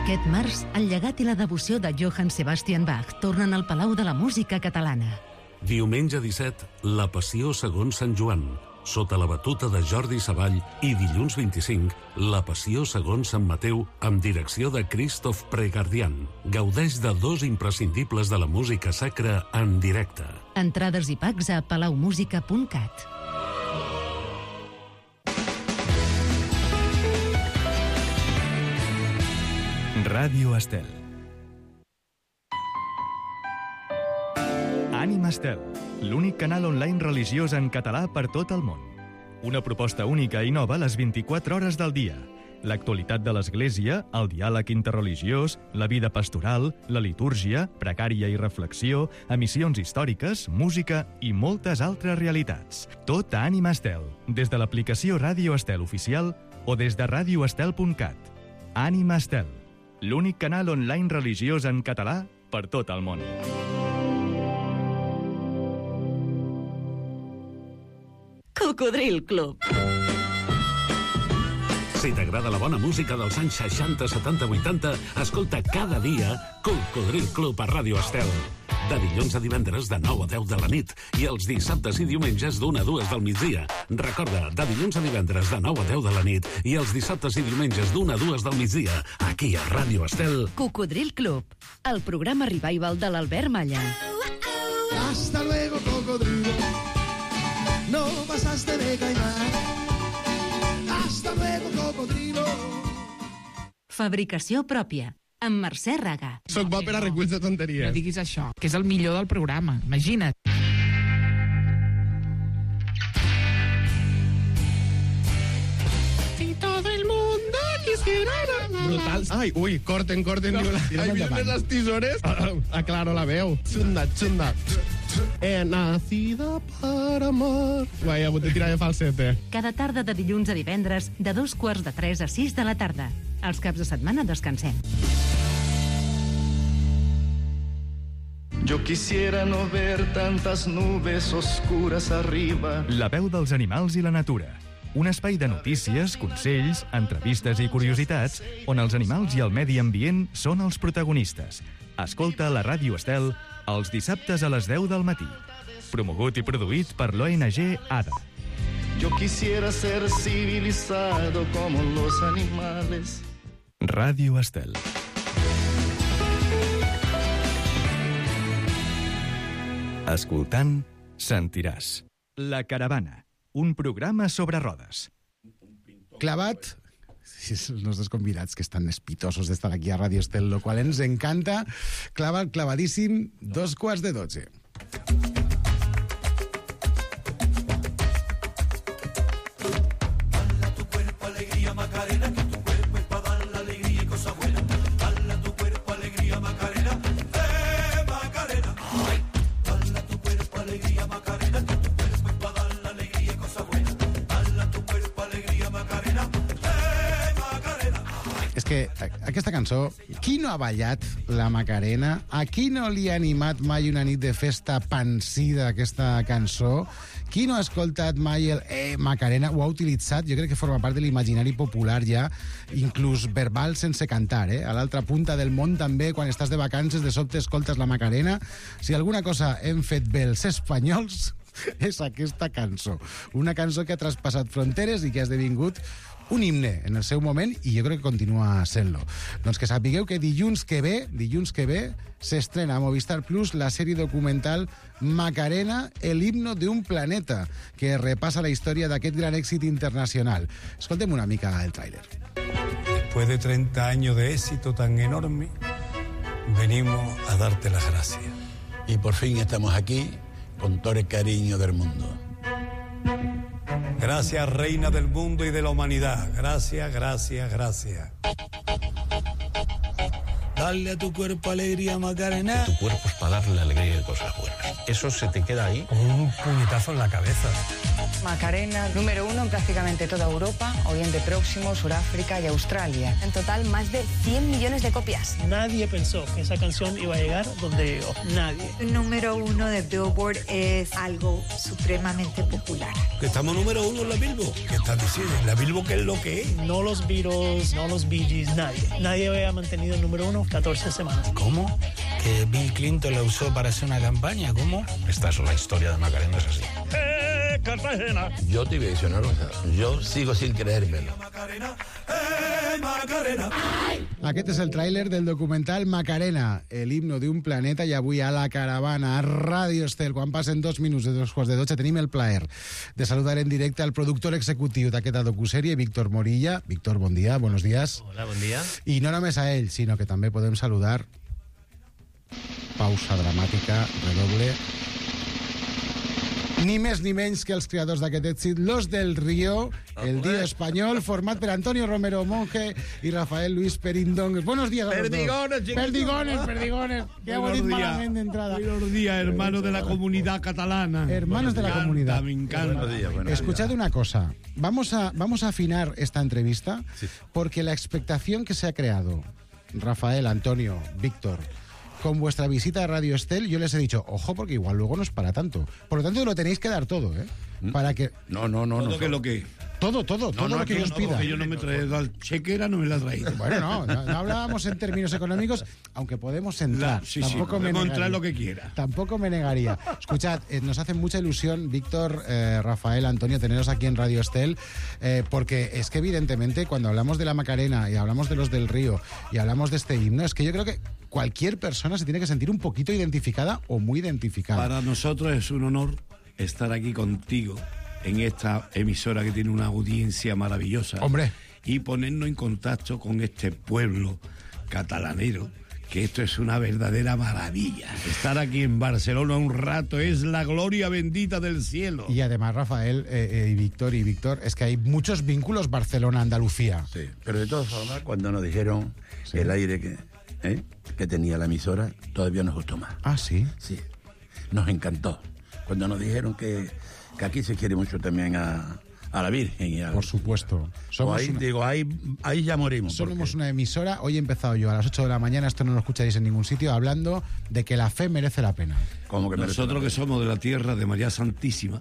Aquest març, el llegat i la devoció de Johann Sebastian Bach tornen al Palau de la Música Catalana. Diumenge 17, la Passió segons Sant Joan, sota la batuta de Jordi Savall, i dilluns 25, la Passió segons Sant Mateu, amb direcció de Christophe Pregardien. Gaudeix de 2 imprescindibles de la música sacra en directe. Entrades i packs a palaumusica.cat. Ràdio Estel. Ànima Estel, l'únic canal online religiós en català per tot el món. Una proposta única i nova a les 24 hores del dia. L'actualitat de l'Església, el diàleg interreligiós, la vida pastoral, la litúrgia, pregària i reflexió, emissions històriques, música i moltes altres realitats. Tot a Ànima Estel, des de l'aplicació Ràdio Estel oficial o des de radioestel.cat. Ànima Estel, l'únic canal online religiós en català per tot el món. Cocodril Club. Si t'agrada la bona música dels anys 60, 70, 80, escolta cada dia Cocodril Club a Ràdio Estel. De dilluns a divendres de 9 a 10 de la nit i els dissabtes i diumenges d'1 a 2 del migdia. Recorda, de dilluns a divendres de 9 a 10 de la nit i els dissabtes i diumenges d'1 a 2 del migdia, aquí a Ràdio Estel. Cocodril Club, el programa revival de l'Albert Malla. Hasta luego, cocodrilo. No pasaste de caimán. Hasta luego, cocodrilo. Fabricació pròpia, amb Mercè Raga. Soc bo per a reculls de tonteries. No diguis això, que és el millor del programa, imagina't. Brutal. Ai, ui, corten. Ai, vienen las tisores. Aclaro la veu. Xunda. He nacido para amar. Guai, he hagut de tirar de falsete. Cada tarda de dilluns a divendres, de 2:45 a 6 de la tarda. Els caps de setmana descansem. Yo quisiera no ver tantas nubes oscuras arriba. La veu dels animals i la natura. Un espai de notícies, consells, entrevistes i curiositats on els animals i el medi ambient són els protagonistes. Escolta la Ràdio Estel els dissabtes a les 10 del matí. Promogut i produït per l'ONG ADA. Yo quisiera ser civilizado como los animales. Ràdio Estel. Escoltant, sentiràs. La Caravana, un programa sobre rodes. Clavat, els nostres convidats que estan espitosos d'estar aquí a Ràdio Estel, lo qual ens encanta. Clavadíssim, 11:45. Que aquesta cançó, qui no ha ballat la Macarena? A qui no li ha animat mai una nit de festa pansida aquesta cançó? Qui no ha escoltat mai el Macarena? Ho ha utilitzat, jo crec que forma part de l'imaginari popular ja, inclús verbal sense cantar, A l'altra punta del món també, quan estàs de vacances, de sobte escoltes la Macarena. Si alguna cosa hem fet bé els espanyols és aquesta cançó. Una cançó que ha traspassat fronteres i que ha esdevingut un himne en el seu moment i jo crec que continua sent-lo. Doncs que sapigueu que dilluns que ve, s'estrena a Movistar Plus la sèrie documental Macarena, el himno de un planeta, que repassa la història d'aquest gran èxit internacional. Escoltem una mica el tràiler. Después de 30 años de éxito tan enorme, venimos a darte las gracias. Y por fin estamos aquí con todo el cariño del mundo. Gracias, reina del mundo y de la humanidad. Gracias. Dale a tu cuerpo alegría, Macarena. Tu cuerpo es para darle alegría y cosas buenas. Eso se te queda ahí. Como un puñetazo en la cabeza. Macarena, número 1 en prácticamente toda Europa, Oriente Próximo, Suráfrica y Australia. En total, más de 100 millones de copias. Nadie pensó que esa canción iba a llegar donde llegó. Nadie. El número 1 de Billboard es algo supremamente popular. Que estamos número 1 en la Billboard. ¿Qué estás diciendo? ¿La Billboard qué es lo que es? No los Beatles, no los Bee Gees, nadie. Nadie había mantenido el número 1 14 semanas. ¿Cómo? ¿Que Bill Clinton la usó para hacer una campaña? ¿Cómo? Esta es la historia de Macarena, es así. Cartagena. Yo te voy a decir una cosa. Yo sigo sin creérmelo. Aquest és el tràiler del documental Macarena, el himno d'un planeta, i avui a la Caravana, a Ràdio Estel, quan passen 2 minuts de 2:45, tenim el plaer de saludar en directe al productor executiu d'aquesta docusèrie, Víctor Morilla. Víctor, bon dia, buenos días. Hola, bon dia. I no només a ell, sinó que també podem saludar, pausa dramàtica, redoble, ni més ni menys que els creadors d'aquest èxit, Los del Río, el Dio Espanyol, format per Antonio Romero Monge i Rafael Luis Perindón. Buenos días a los Perdigones, dos. Perdigones. Que hago dit malament d'entrada. Buenos días, hermanos de la comunidad catalana. Hermanos de la comunidad. Me encanta. Escuchad una cosa. Vamos a afinar esta entrevista porque la expectación que se ha creado, Rafael, Antonio, Víctor, con vuestra visita a Radio Estel, yo les he dicho, ojo, porque igual luego no es para tanto. Por lo tanto, lo tenéis que dar todo, ¿eh? Para que... No. Todo lo que yo os pida. Yo no me traía la chequera, no me la traía. Bueno, no hablábamos en términos económicos, aunque podemos entrar. Tampoco me negaría. Entrar lo que quiera. Tampoco me negaría. Escuchad, nos hace mucha ilusión, Víctor, Rafael, Antonio, teneros aquí en Radio Estel, porque es que evidentemente cuando hablamos de la Macarena y hablamos de Los del Río y hablamos de este himno, es que yo creo que cualquier persona se tiene que sentir un poquito identificada o muy identificada. Para nosotros es un honor estar aquí contigo en esta emisora que tiene una audiencia maravillosa. Hombre. Y ponernos en contacto con este pueblo catalanero que esto es una verdadera maravilla. Estar aquí en Barcelona un rato es la gloria bendita del cielo. Y además, Rafael y Víctor, es que hay muchos vínculos Barcelona-Andalucía. Sí, pero de todas formas, cuando nos dijeron el aire que tenía la emisora, todavía nos gustó más. ¿Ah, sí? Sí, nos encantó. Cuando nos dijeron que aquí se quiere mucho también a la Virgen. Y por supuesto. Ahí ya morimos. Somos una emisora. Hoy he empezado yo a las 8 de la mañana, esto no lo escucharéis en ningún sitio, hablando de que la fe merece la pena. ¿Cómo que nosotros que somos de la tierra de María Santísima,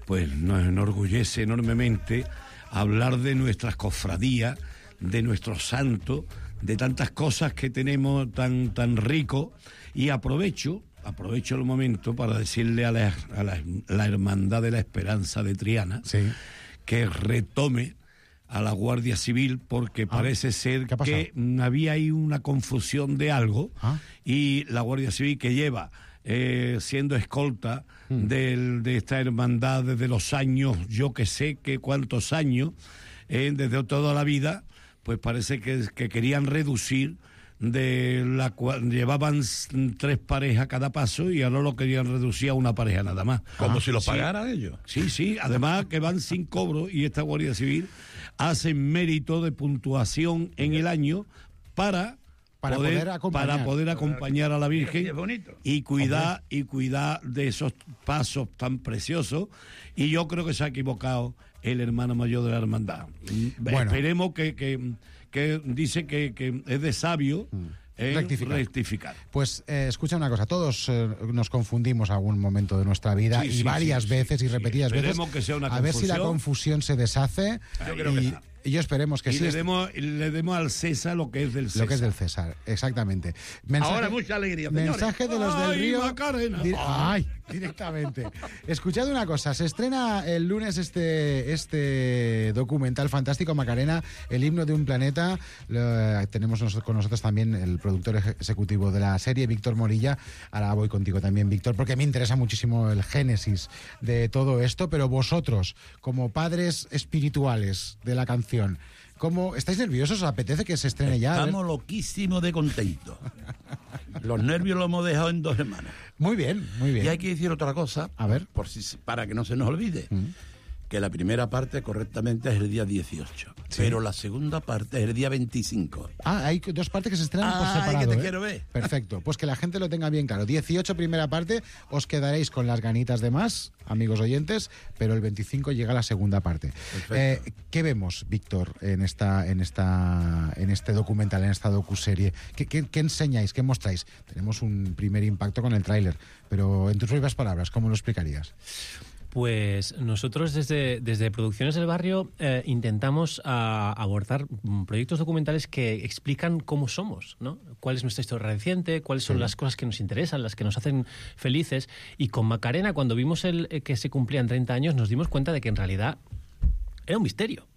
pues nos enorgullece enormemente hablar de nuestras cofradías, de nuestros santos, de tantas cosas que tenemos tan rico. Y aprovecho el momento para decirle a la Hermandad de la Esperanza de Triana que retome a la Guardia Civil, porque parece ser que había ahí una confusión de algo, y la Guardia Civil, que lleva siendo escolta de esta hermandad desde los años, yo que sé que cuántos años, desde toda la vida, pues parece que querían reducir, de la cual llevaban 3 parejas cada paso y ahora lo querían reducir a una pareja nada más. Como si lo pagaran ellos. Sí, además que van sin cobro, y esta Guardia Civil hace mérito de puntuación en el año para poder acompañar a la Virgen y cuidar de esos pasos tan preciosos. Y yo creo que se ha equivocado el hermano mayor de la hermandad. Bueno, esperemos que dice que es de sabio rectificar. Pues escucha una cosa, todos nos confundimos algún momento de nuestra vida, y varias veces y repetidas veces. Que sea una a ver si la confusión se deshace. Yo creo que está. Y yo esperemos que sí. Le demos al César lo que es del César. Lo que es del César, exactamente. Ahora mucha alegría, señores. Mensaje de los del Río. Macarena. Directamente. Escuchad una cosa, se estrena el lunes este documental fantástico, Macarena, el himno de un planeta. Tenemos con nosotros también el productor ejecutivo de la serie, Víctor Morilla. Ahora voy contigo también, Víctor, porque me interesa muchísimo el génesis de todo esto, pero vosotros, como padres espirituales de la canción, ¿cómo estáis nerviosos? ¿Os apetece que se estrene ya? Estamos loquísimos de contentos. Los nervios los hemos dejado en 2 semanas. Muy bien, muy bien. Y hay que decir otra cosa, a ver, para que no se nos olvide, que la primera parte correctamente es el día 18, pero la segunda parte es el día 25. Hay 2 partes que se estrenan por separado. Que te quiero ver. Perfecto, pues que la gente lo tenga bien claro. 18 primera parte, os quedaréis con las ganitas de más, amigos oyentes, pero el 25 llega la segunda parte. ¿Qué vemos, Víctor, en este documental, en esta docuserie? ¿Qué enseñáis? ¿Qué mostráis? Tenemos un primer impacto con el tráiler, pero en tus propias palabras, ¿cómo lo explicarías? Pues nosotros desde Producciones del Barrio intentamos abordar proyectos documentales que explican cómo somos, ¿no? Cuál es nuestra historia reciente, cuáles son las cosas que nos interesan, las que nos hacen felices. Y con Macarena, cuando vimos que se cumplían 30 años, nos dimos cuenta de que en realidad era un misterio.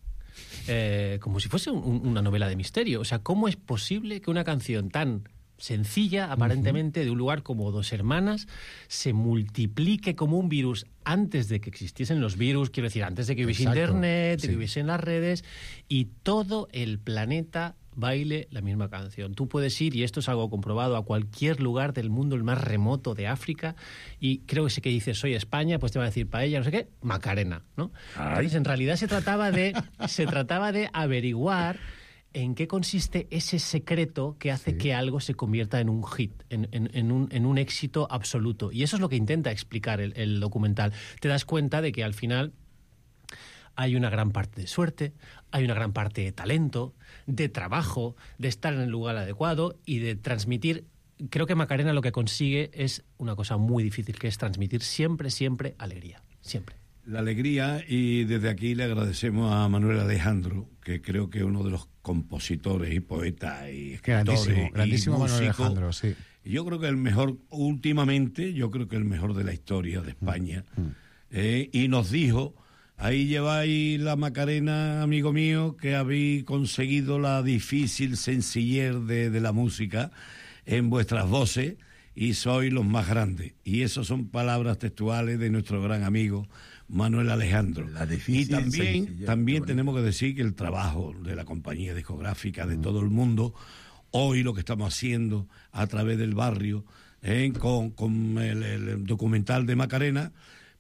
Como si fuese una novela de misterio. O sea, ¿cómo es posible que una canción tan sencilla, aparentemente, de un lugar como Dos Hermanas, se multiplique como un virus antes de que existiesen los virus, quiero decir, antes de que hubiese internet, de que hubiesen las redes, y todo el planeta baile la misma canción? Tú puedes ir, y esto es algo comprobado, a cualquier lugar del mundo, el más remoto de África, y creo que si que dices soy España, pues te va a decir paella, no sé qué, Macarena, ¿no? Entonces, en realidad se trataba de averiguar en qué consiste ese secreto que hace que algo se convierta en un hit, en un éxito absoluto. Y eso es lo que intenta explicar el documental. Te das cuenta de que al final hay una gran parte de suerte, hay una gran parte de talento, de trabajo, de estar en el lugar adecuado y de transmitir. Creo que Macarena lo que consigue es una cosa muy difícil, que es transmitir siempre alegría, siempre. La alegría, y desde aquí le agradecemos a Manuel Alejandro, que creo que es uno de los compositores y poetas y escritores grandísimo y Manuel Alejandro, sí. Yo creo que el mejor, últimamente, el mejor de la historia de España. Y nos dijo, ahí lleváis la Macarena, amigo mío, que habéis conseguido la difícil sencillez de la música en vuestras voces, y sois los más grandes. Y esas son palabras textuales de nuestro gran amigo Manuel Alejandro. Y también tenemos que decir que el trabajo de la compañía discográfica, de todo el mundo, hoy lo que estamos haciendo a través del barrio, con el documental de Macarena,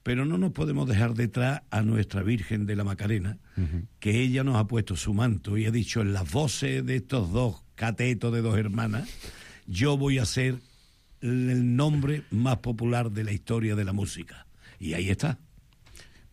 pero no nos podemos dejar detrás a nuestra Virgen de la Macarena, que ella nos ha puesto su manto y ha dicho en las voces de estos dos catetos de dos hermanas, yo voy a ser el nombre más popular de la historia de la música. Y ahí está.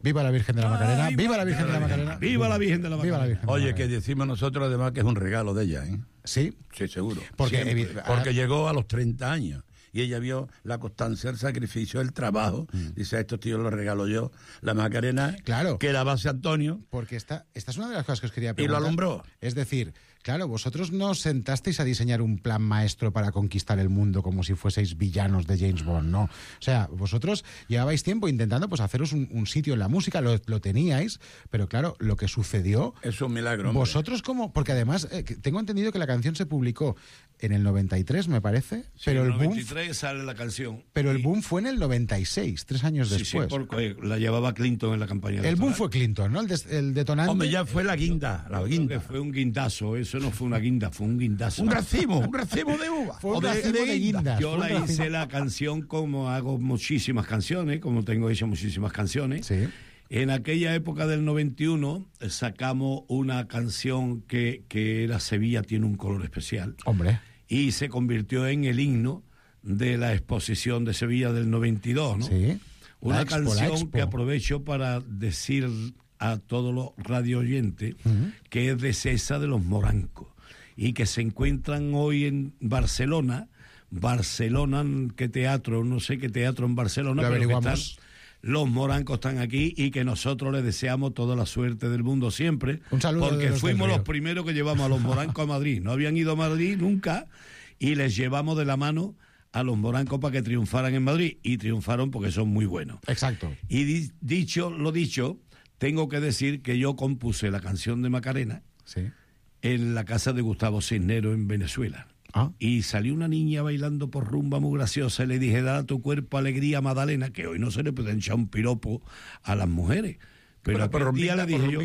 Viva la Virgen de la Macarena, viva la Virgen de la Macarena. Viva la Virgen de la Macarena. Oye, que decimos nosotros además que es un regalo de ella, ¿eh? Sí. Sí, seguro. Porque llegó a los 30 años. Y ella vio la constancia, el sacrificio, el trabajo. Dice, a estos tíos los regalo yo. La Macarena, claro, que la base Antonio. Porque esta es una de las cosas que os quería preguntar. Y lo alumbró. Es decir, claro, vosotros no os sentasteis a diseñar un plan maestro para conquistar el mundo como si fueseis villanos de James Bond, ¿no? O sea, vosotros llevabais tiempo intentando pues haceros un sitio en la música, lo teníais, pero claro, lo que sucedió... Es un milagro, hombre. Vosotros como... Porque además, tengo entendido que la canción se publicó en el 93, me parece, sí, pero en el el boom... 93 sale la canción. Pero el boom fue en el 96, 3 años después. Sí, porque la llevaba Clinton en la campaña. El boom fue Clinton, ¿no? El detonante... Hombre, ya fue la guinda. Fue un guindazo, eso no fue una guinda, fue un guindazo. Un racimo de uva. Fue un racimo de guindas. Yo la hice la canción como hago muchísimas canciones, como tengo hecho muchísimas canciones. Sí. En aquella época del 91 sacamos una canción que era Sevilla tiene un color especial. Hombre. Y se convirtió en el himno de la exposición de Sevilla del 92, ¿no? Sí. Una canción que aprovecho para decir a todos los radio oyentes que es de César de los Morancos y que se encuentran hoy en Barcelona, ¿qué teatro? No sé qué teatro en Barcelona, lo pero averiguamos. Los Morancos están aquí y que nosotros les deseamos toda la suerte del mundo siempre. Un saludo. Porque fuimos los primeros que llevamos a los Morancos a Madrid. No habían ido a Madrid nunca y les llevamos de la mano a los Morancos para que triunfaran en Madrid. Y triunfaron porque son muy buenos. Exacto. Y dicho, tengo que decir que yo compuse la canción de Macarena en la casa de Gustavo Cisneros en Venezuela. Y salió una niña bailando por rumba muy graciosa y le dije, da a tu cuerpo alegría, Magdalena, que hoy no se le puede echar un piropo a las mujeres. Pero por día le dije yo,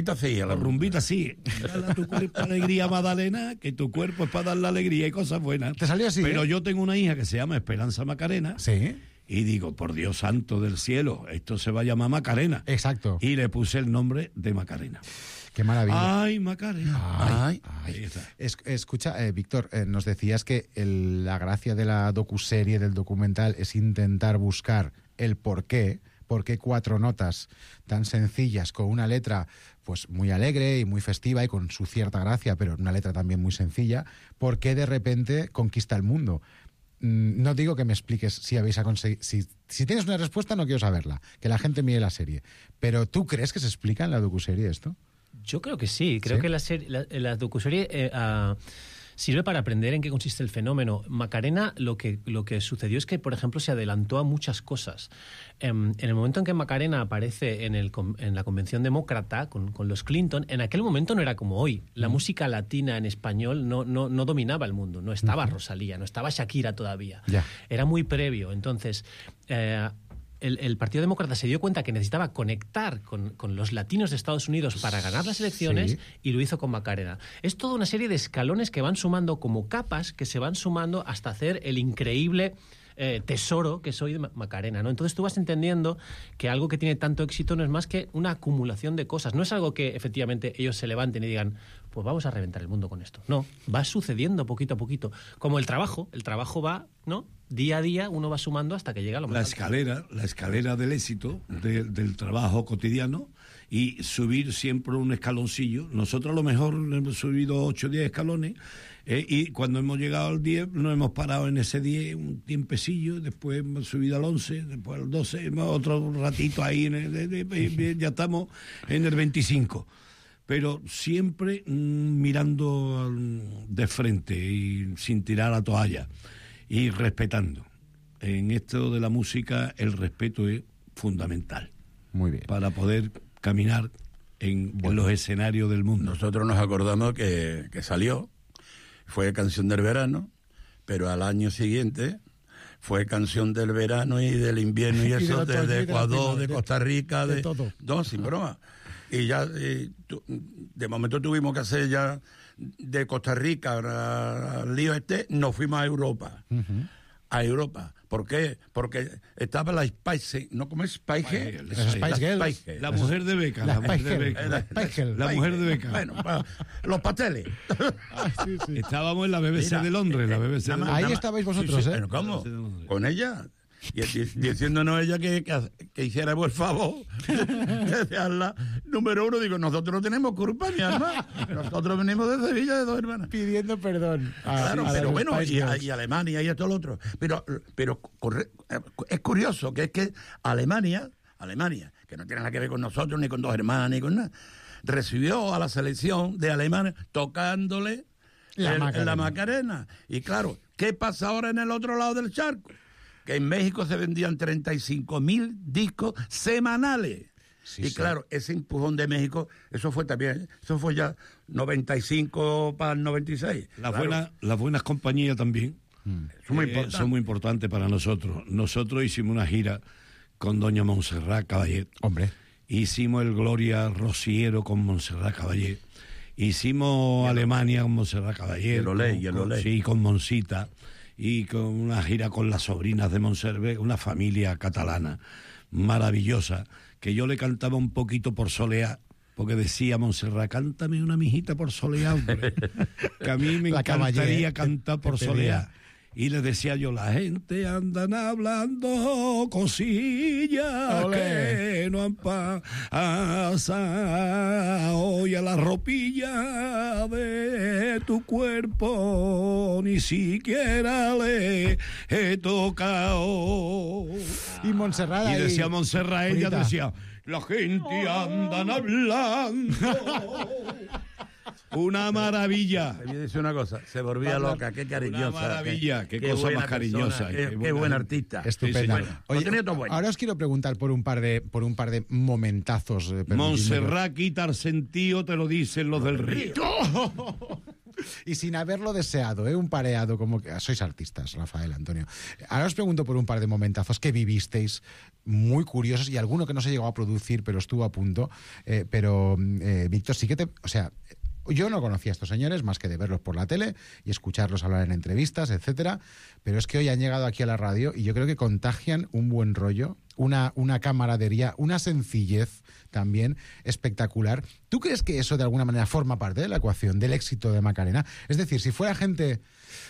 rumbita sí, dale a tu cuerpo alegría, Magdalena, que tu cuerpo es para dar la alegría y cosas buenas. Te salió así. Pero yo tengo una hija que se llama Esperanza Macarena. Sí. Y digo, por Dios santo del cielo, esto se va a llamar Macarena. Exacto. Y le puse el nombre de Macarena. Qué maravilla. Ay, Macarena. Ay. Escucha, Víctor, nos decías que la gracia de la docuserie, del documental, es intentar buscar el porqué 4 notas tan sencillas con una letra pues muy alegre y muy festiva y con su cierta gracia, pero una letra también muy sencilla, ¿por qué de repente conquista el mundo? No digo que me expliques si habéis conseguido... Si tienes una respuesta no quiero saberla, que la gente mire la serie. Pero ¿tú crees que se explica en la docuserie esto? Yo creo que sí. Creo que la docuserie sirve para aprender en qué consiste el fenómeno. Macarena, lo que sucedió es que, por ejemplo, se adelantó a muchas cosas. En el momento en que Macarena aparece en la Convención Demócrata con los Clinton, en aquel momento no era como hoy. La música latina en español no dominaba el mundo. No estaba Rosalía, no estaba Shakira todavía. Ya. Era muy previo. Entonces... El Partido Demócrata se dio cuenta que necesitaba conectar con los latinos de Estados Unidos para ganar las elecciones y lo hizo con Macarena. Es toda una serie de escalones que van sumando como capas, que se van sumando hasta hacer el increíble tesoro que soy de Macarena, ¿no? Entonces tú vas entendiendo que algo que tiene tanto éxito no es más que una acumulación de cosas. No es algo que efectivamente ellos se levanten y digan, pues vamos a reventar el mundo con esto. No, va sucediendo poquito a poquito. Como el trabajo va, ¿no? Día a día uno va sumando hasta que llega a lo más alto. La escalera del éxito, del trabajo cotidiano, y subir siempre un escaloncillo. Nosotros a lo mejor hemos subido 8 o 10 escalones, y cuando hemos llegado al 10 nos hemos parado en ese 10 un tiempecillo, después hemos subido al 11, después al 12, otro ratito ahí, ya estamos en el 25. Pero siempre mirando de frente y sin tirar la toalla y respetando. En esto de la música el respeto es fundamental. Muy bien. Para poder caminar en los escenarios del mundo. Nosotros nos acordamos que salió, fue canción del verano, pero al año siguiente fue canción del verano y del invierno y eso, desde Ecuador, de Costa Rica, de todo. No, sin broma. Y ya, de momento tuvimos que hacer ya de Costa Rica al lío nos fuimos a Europa. A Europa. ¿Por qué? Porque estaba la Spice, ¿no? ¿Cómo es? Spice Girls. La mujer de Beca. La mujer de Beca. Bueno, los pasteles. Sí. Estábamos en la BBC de Londres. Ahí estabais vosotros, ¿eh? ¿Cómo? Con ella. Y diciéndonos ella que hiciéramos el favor de dejarla número 1. Digo, nosotros no tenemos culpa, mi hermana. Nosotros venimos de Sevilla, de 2 hermanas. Pidiendo perdón. Claro, pero bueno, y Alemania y todo lo otro. Pero es curioso que es que Alemania, que no tiene nada que ver con nosotros, ni con 2 hermanas, ni con nada, recibió a la selección de Alemania tocándole la Macarena. Y claro, ¿qué pasa ahora en el otro lado del charco? Que en México se vendían 35.000 discos semanales. Sí, claro, ese empujón de México, eso fue ya 95 para el 96. Las buenas compañías también son muy importantes para nosotros. Nosotros hicimos una gira con doña Montserrat Caballé. Hombre. Hicimos el Gloria Rociero con Montserrat Caballé. Hicimos Alemania con Montserrat Caballé. Sí, con Monsita. Y con una gira con las sobrinas de Montserrat, una familia catalana maravillosa, que yo le cantaba un poquito por soleá, porque decía Montserrat, cántame una mijita por soleá, hombre, que a mí me encantaría cantar por soleá. Y le decía yo, la gente andan hablando cosillas que no han pasado, y a la ropilla de tu cuerpo ni siquiera le he tocado. Y Montserrat y decía Montserrat, ella decía, la gente andan hablando. Una maravilla. Te voy a decir una cosa, se volvía loca, qué cariñosa. Una maravilla, qué cosa más cariñosa. Qué buen artista. Estupenda. Sí, Oye, ahora os quiero preguntar por un par de momentazos. Montserrat quita el sentido, te lo dicen los del río. Y sin haberlo deseado, un pareado como que... Sois artistas, Rafael, Antonio. Ahora os pregunto por un par de momentazos que vivisteis muy curiosos y alguno que no se llegó a producir, pero estuvo a punto. Víctor, sí que o sea, yo no conocía a estos señores más que de verlos por la tele y escucharlos hablar en entrevistas, etcétera, pero es que hoy han llegado aquí a la radio y yo creo que contagian un buen rollo, una camaradería, una sencillez también espectacular. ¿Tú crees que eso de alguna manera forma parte de la ecuación del éxito de Macarena? Es decir, si fuera gente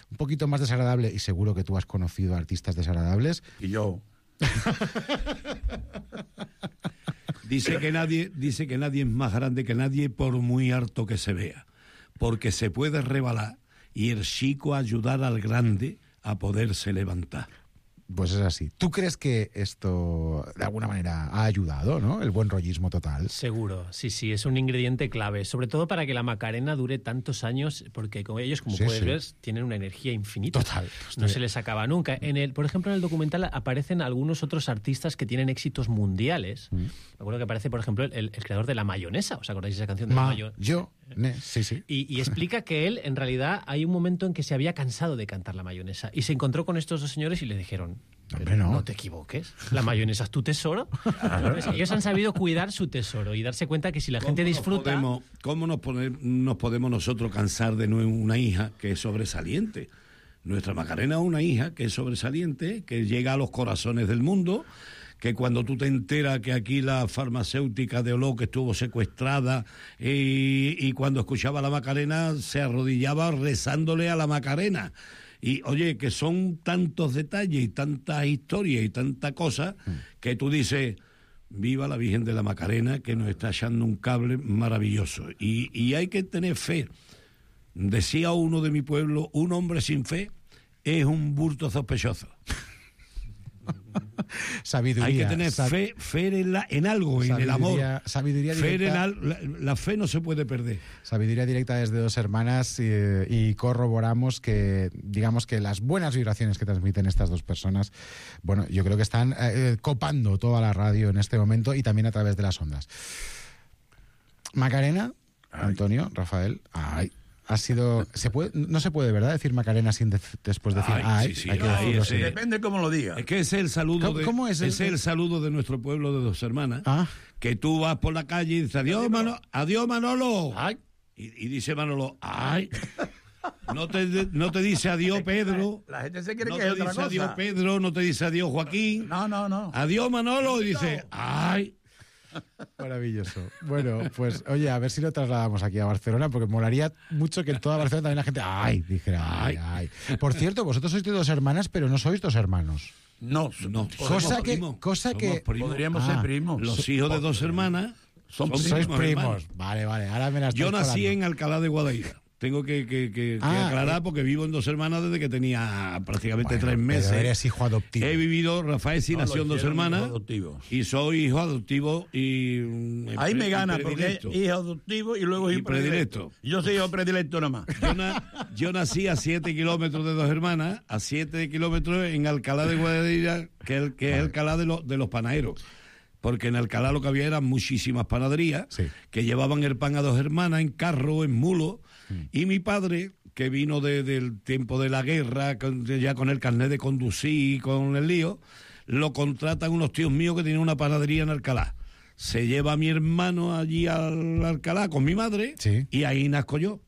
un poquito más desagradable, y seguro que tú has conocido artistas desagradables... Y yo... Dice que nadie es más grande que nadie por muy harto que se vea, porque se puede rebalar y el chico ayudar al grande a poderse levantar. Pues es así. ¿Tú crees que esto de alguna manera ha ayudado, ¿no? El buen rollismo total. Seguro, sí, es un ingrediente clave, sobre todo para que la Macarena dure tantos años, porque con ellos, como puedes ver, tienen una energía infinita. Total. No se les acaba nunca. Por ejemplo, en el documental aparecen algunos otros artistas que tienen éxitos mundiales. Me acuerdo que aparece, por ejemplo, el creador de La Mayonesa. ¿Os acordáis de esa canción de La Mayonesa? Sí. Y explica que él, en realidad, hay un momento en que se había cansado de cantar La Mayonesa y se encontró con estos 2 señores y le dijeron, no te equivoques, la mayonesa es tu tesoro. Ellos han sabido cuidar su tesoro y darse cuenta que si la gente disfruta... ¿Cómo nos podemos nosotros cansar de una hija que es sobresaliente? Nuestra Macarena es una hija que es sobresaliente, que llega a los corazones del mundo, que cuando tú te enteras que aquí la farmacéutica de Oló que estuvo secuestrada y cuando escuchaba la Macarena se arrodillaba rezándole a la Macarena. Y oye, que son tantos detalles y tantas historias y tantas cosas que tú dices, viva la Virgen de la Macarena que nos está echando un cable maravilloso. Y hay que tener fe. Decía uno de mi pueblo, un hombre sin fe es un bulto sospechoso. Sabiduría. Hay que tener fe en algo, en el amor. Sabiduría directa. La fe no se puede perder. Sabiduría directa desde 2 hermanas y corroboramos que, digamos que las buenas vibraciones que transmiten estas 2 personas, bueno, yo creo que están copando toda la radio en este momento y también a través de las ondas. Macarena, Antonio, Rafael, ha sido... no se puede, ¿verdad?, decir Macarena sin después decir ay. Sí, depende cómo lo digas. Es que ese es el saludo. ¿Cómo es el saludo de nuestro pueblo de 2 hermanas. Que tú vas por la calle y dices adiós Manolo. Ay. Y dice Manolo, ¡ay! No te dice adiós, Pedro. La gente se cree no que es te otra dice cosa. adiós, Pedro, no te dice adiós, Joaquín. No. Adiós, Manolo, y dice, ¡ay! Maravilloso. Bueno, pues oye, a ver si lo trasladamos aquí a Barcelona, porque molaría mucho que en toda Barcelona también la gente ¡ay! Dijera ¡ay! Por cierto, vosotros sois de 2 hermanas, pero no sois 2 hermanos. No. Cosa que Podríamos ser primos. Los hijos de 2 hermanas sois primos. Vale, ahora me las Yo estáis nací colando. en Alcalá de Guadaira. Tengo que aclarar porque vivo en 2 hermanas desde que tenía prácticamente 3 meses. Pero eres hijo adoptivo. He vivido, Rafael sí nació en 2 hermanas y soy hijo adoptivo y ahí me gana porque es hijo adoptivo y luego hijo predilecto. Yo soy hijo predilecto nomás. Yo nací a 7 kilómetros de 2 hermanas, a 7 kilómetros en Alcalá de Guadaira, que es Alcalá de los panaderos. Porque en Alcalá lo que había eran muchísimas panaderías que llevaban el pan a 2 hermanas en carro, en mulo. Y mi padre, que vino del tiempo de la guerra, ya con el carnet de conducir y con el lío, lo contratan unos tíos míos que tienen una panadería en Alcalá. Se lleva a mi hermano allí al Alcalá con mi madre y ahí nazco yo.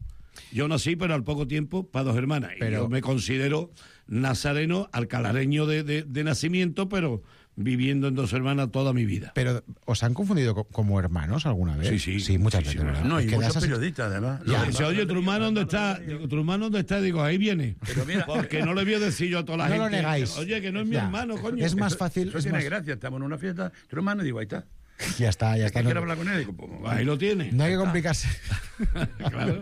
Yo nací, pero al poco tiempo, para 2 hermanas. Y yo me considero nazareno, alcalareño de nacimiento, pero viviendo en 2 hermanas toda mi vida. Pero, ¿os han confundido como hermanos alguna vez? Sí, muchas veces. ¿verdad? No, y muchos periodistas, además. Dice, oye, ¿tu hermano dónde está? Digo, ¿tu hermano dónde está? Digo, ahí viene. Pero mira, porque no le voy a decir yo a toda la gente. No lo negáis. Oye, que no es mi hermano, coño. Es más fácil. Eso tiene gracia. Estamos en una fiesta, tu hermano, digo, ahí está. Ya está. Quiero hablar con él, digo, pues, ahí lo tiene. No hay que complicarse. Claro.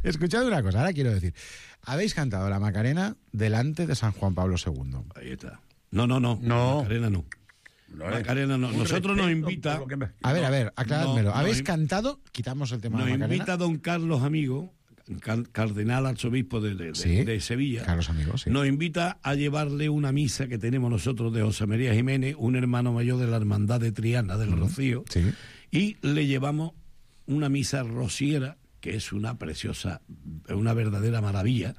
Escuchad una cosa, ahora quiero decir. Habéis cantado la Macarena delante de San Juan Pablo II. Ahí está. No. Macarena no. Macarena no. Nosotros nos invita... A ver, aclarádmelo. ¿Habéis cantado? Quitamos el tema de Macarena. Nos invita don Carlos Amigo, cardenal arzobispo de Sevilla. Carlos Amigo, sí. Nos invita a llevarle una misa que tenemos nosotros de José María Jiménez, un hermano mayor de la Hermandad de Triana del Rocío. Sí. Y le llevamos una misa rociera, que es una preciosa, una verdadera maravilla,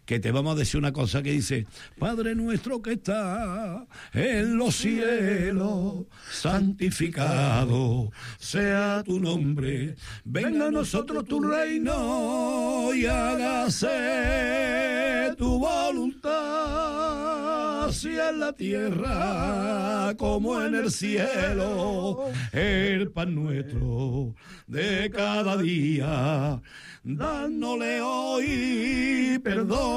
que te vamos a decir una cosa que dice: Padre nuestro que está en los cielos, santificado sea tu nombre, venga a nosotros tu reino y hágase tu voluntad, así en la tierra como en el cielo. El pan nuestro de cada día, dándole hoy, perdona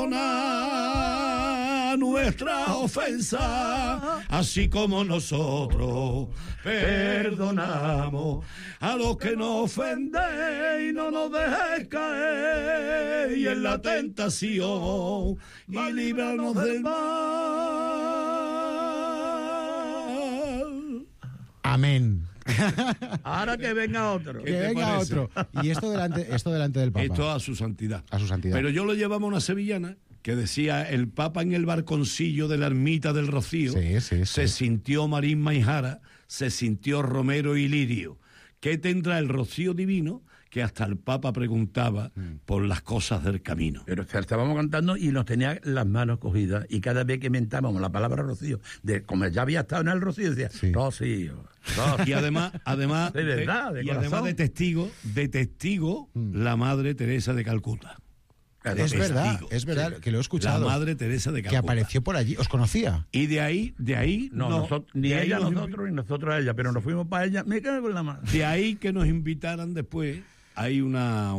nuestra ofensa, así como nosotros perdonamos a los que nos ofenden, y no nos dejes caer y en la tentación, y líbranos del mal. Amén. Ahora que venga otro. Que venga otro. Y esto delante del Papa. Esto a su santidad. A su santidad. Pero yo lo llevaba a una sevillana que decía: el Papa en el balconcillo de la ermita del Rocío se sintió Marín Maijara, se sintió Romero y Lirio. ¿Qué tendrá el Rocío divino? Que hasta el Papa preguntaba por las cosas del camino. Pero estábamos cantando y nos tenía las manos cogidas, y cada vez que mentábamos la palabra Rocío, como ya había estado en el Rocío, decía Rocío. Y además de verdad, de testigo, la Madre Teresa de Calcuta. Es verdad, que lo he escuchado. La Madre Teresa de Calcuta. Que apareció por allí, ¿os conocía? Y de ahí ni ella a nosotros, ni nosotros a ella, pero nos fuimos para ella, me cago en la mano. De ahí que nos invitaran después, hay una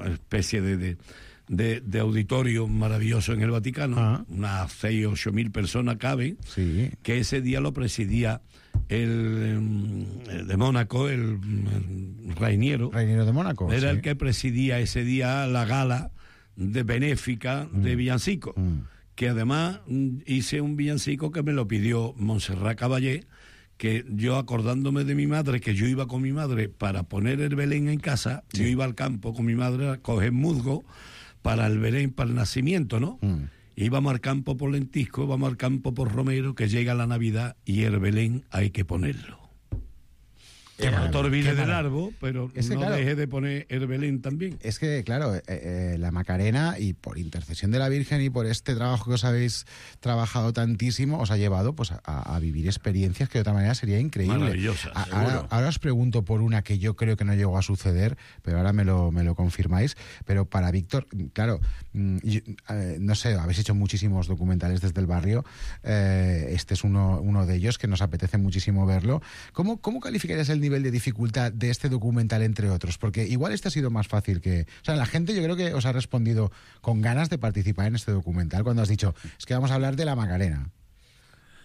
especie de auditorio maravilloso en el Vaticano, unas 6 o 8 mil personas caben, que ese día lo presidía el de Mónaco, el Rainiero de Mónaco. Era el que presidía ese día la gala de benéfica de villancico, que además hice un villancico que me lo pidió Montserrat Caballé, que yo, acordándome de mi madre, que yo iba con mi madre para poner el Belén en casa, yo iba al campo con mi madre a coger musgo para el Belén, para el nacimiento, ¿no? Íbamos al campo por lentisco, vamos al campo por romero, que llega la Navidad y el Belén hay que ponerlo. Que no te olvides del árbol, pero no claro, dejes de poner el Belén también. Es que, claro, la Macarena, y por intercesión de la Virgen y por este trabajo que os habéis trabajado tantísimo, os ha llevado pues a vivir experiencias que de otra manera sería increíble. Maravillosas, ahora os pregunto por una que yo creo que no llegó a suceder, pero ahora me lo confirmáis. Pero para Víctor, claro, no sé, habéis hecho muchísimos documentales desde el barrio. Este es uno de ellos que nos apetece muchísimo verlo. ¿Cómo calificarías el nivel de dificultad de este documental entre otros? Porque igual este ha sido más fácil que... O sea, la gente yo creo que os ha respondido con ganas de participar en este documental cuando has dicho, es que vamos a hablar de la Macarena.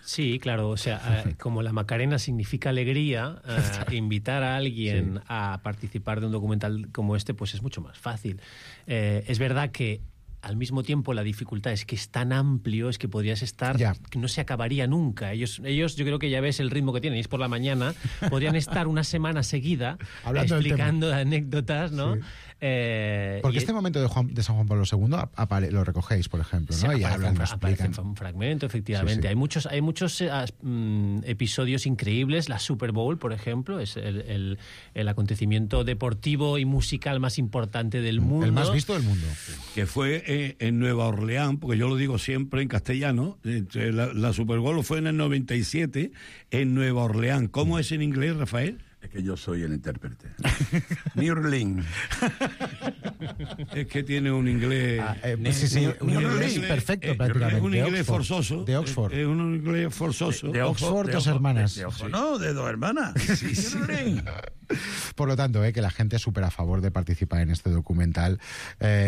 Sí, claro, o sea, como la Macarena significa alegría, invitar a alguien a participar de un documental como este, pues es mucho más fácil. Es verdad que al mismo tiempo la dificultad es que es tan amplio, es que podrías estar, que no se acabaría nunca. Ellos yo creo que ya ves el ritmo que tienen, es por la mañana, podrían estar una semana seguida explicando anécdotas, ¿no? Sí. Porque este momento de San Juan Pablo II lo recogéis, por ejemplo, ¿no? Y aparece un fragmento, efectivamente. Sí. Hay muchos episodios increíbles. La Super Bowl, por ejemplo, es el acontecimiento deportivo y musical más importante del mundo. El más visto del mundo. Que fue en Nueva Orleans, porque yo lo digo siempre en castellano. La Super Bowl fue en el 97 en Nueva Orleans. ¿Cómo es en inglés, Rafael? Es que yo soy el intérprete. New Orleans. Es que tiene un inglés... un inglés perfecto, prácticamente. Es un inglés forzoso. De Oxford. Es un inglés forzoso. De Oxford, dos hermanas. No, de dos hermanas. Sí. Por lo tanto, que la gente es súper a favor de participar en este documental.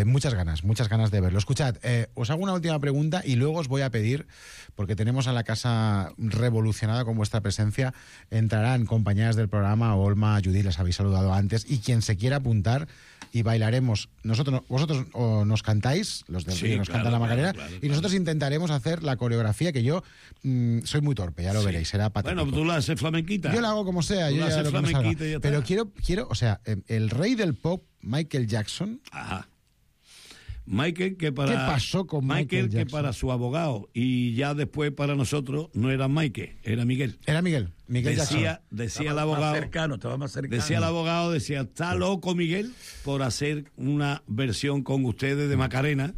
Muchas ganas de verlo. Escuchad, os hago una última pregunta y luego os voy a pedir, porque tenemos a la casa revolucionada con vuestra presencia, entrarán compañeras del programa, Olma, Judith, les habéis saludado antes, y quien se quiera apuntar y bailaremos. Vosotros nos cantáis, los del Río nos cantan la Macarena, y nosotros intentaremos hacer la coreografía, que yo soy muy torpe, ya lo veréis, será patético. Bueno, tú la haces flamenquita. Yo la hago como sea, yo ya lo que me salga. Pero quiero, o sea, el rey del pop, Michael Jackson... Ajá. Michael, ¿qué pasó con Michael Jackson? Que para su abogado y ya después para nosotros no era Michael, era Miguel. Era Miguel Jackson. Decía el abogado. Estaba más cercano. Decía el abogado, está loco Miguel por hacer una versión con ustedes de Macarena,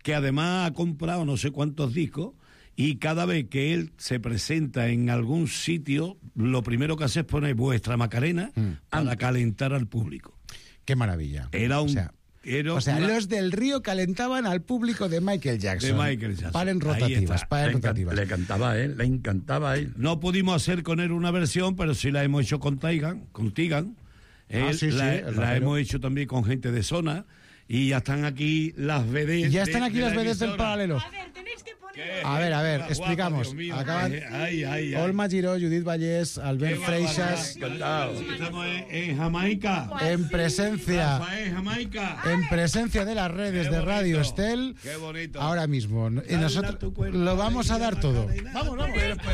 que además ha comprado no sé cuántos discos, y cada vez que él se presenta en algún sitio, lo primero que hace es poner vuestra Macarena para calentar al público. Qué maravilla. Era un... los del Río calentaban al público de Michael Jackson. Paren rotativas. Le encantaba a él. No pudimos hacer con él una versión, pero sí la hemos hecho con Tigan. La hemos hecho también con gente de zona. Y ya están aquí las vedettes. Ya están aquí las vedettes del paralelo. A ver, tenéis que poner... A ver, explicamos. Acaban Olma Giró, Judith Vallés, Albert Freixas. Estamos en Jamaica. En presencia. En presencia de las redes de Radio Estel. Qué bonito. Ahora mismo. Y nosotros lo vamos a dar todo. Vamos.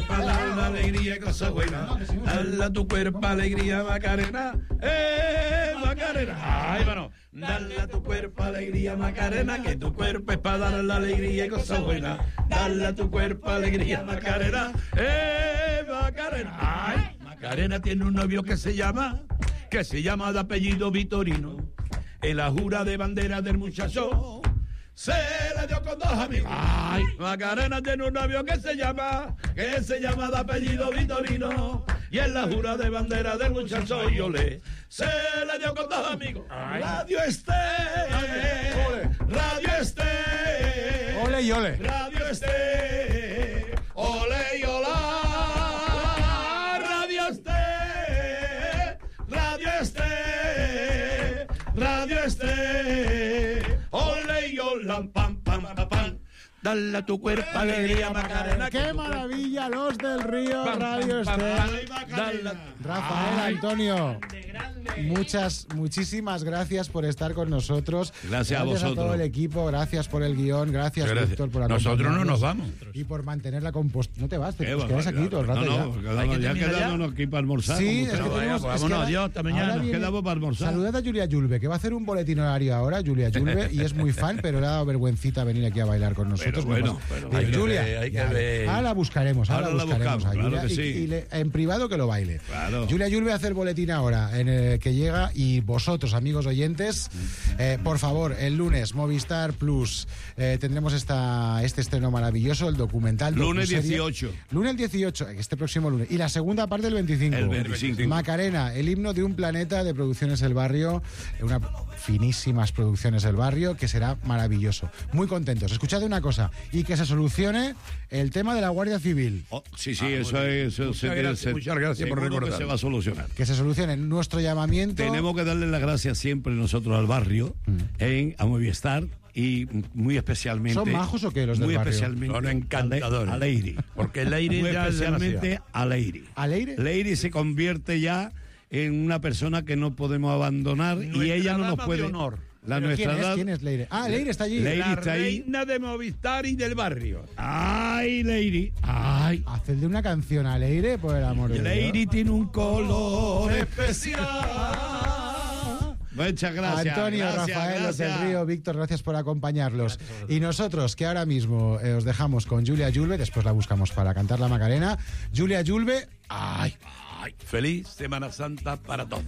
Para dar la alegría, cosa buena. Dale a tu cuerpo alegría, Macarena. Macarena. Ay, bueno. Dale a tu cuerpo alegría, Macarena, que tu cuerpo es para dar la alegría y cosa buena. Dale a tu cuerpo alegría, Macarena, Macarena. Ay, Macarena tiene un novio que se llama de apellido Vitorino. En la jura de bandera del muchacho se le dio con dos amigos. Ay, Macarena tiene un novio que se llama de apellido Vitorino. Y en la jura de bandera del muchacho Yole se le dio con dos amigos. Ay. Radio Estel, ole y ole. Radio Estel, ole y hola. Radio Estel, ole y hola, pam, pam, pam, pam. Dale a tu cuerpo alegría, Macarena. ¡Qué maravilla! Los del Río, Radio Estel. Rafael, Antonio, muchísimas gracias por estar con nosotros. Gracias a vosotros. A todo el equipo, gracias por el guión, gracias Víctor por acompañarnos. Nosotros no nos vamos. Y por mantener la compostura. No te vas, te quedas aquí todo el rato ya quedamos aquí para almorzar. Sí, es que tenemos... Vámonos, adiós, hasta mañana. Nos quedamos para almorzar. Saludad a Julia Yulbe, que va a hacer un boletín horario ahora, Julia Yulbe, y es muy fan, pero le ha dado vergüencita venir aquí a bailar con con nosotros. Pero hay Julia, que ver. ahora la buscaremos. Ahora la buscaremos a Julia, claro que sí. y en privado que lo baile. Claro. Julia Julve hace el boletín ahora, en el que llega, y vosotros, amigos oyentes, por favor, el lunes, Movistar Plus, tendremos este estreno maravilloso, el documental. Lunes docuserie. 18. Lunes 18, este próximo lunes. Y la segunda parte el 25. El 25. Macarena, el himno de un planeta de Producciones El Barrio, una finísimas Producciones El Barrio, que será maravilloso. Muy contentos. Escuchad una cosa, y que se solucione el tema de la Guardia Civil. Sí, eso muchas gracias por recordar. Que se va a solucionar. Que se solucione nuestro llamamiento. Tenemos que darle las gracias siempre nosotros al barrio, a Movistar, y muy especialmente... ¿Son majos o qué los del muy barrio? Especialmente son encantadores. A Leiri. Porque Leiri muy ya especialmente a Leiri. ¿A Leire? Leiri se convierte ya en una persona que no podemos abandonar, y ella no nos puede... honor. ¿Quién es Leire? Ah, Leire está allí. Leire La está ahí. reina de Movistar y del barrio. ¡Ay, Leiri! ¡Ay! Hacedle una canción a Leire, por el amor de Dios. Leiri tiene un color especial. Muchas gracias. Antonio, Rafael, Los del Río, Víctor, gracias por acompañarlos. Y nosotros, que ahora mismo os dejamos con Julia Julve, después la buscamos para cantar la Macarena. Julia Julve, ¡ay! Feliz Semana Santa para todos.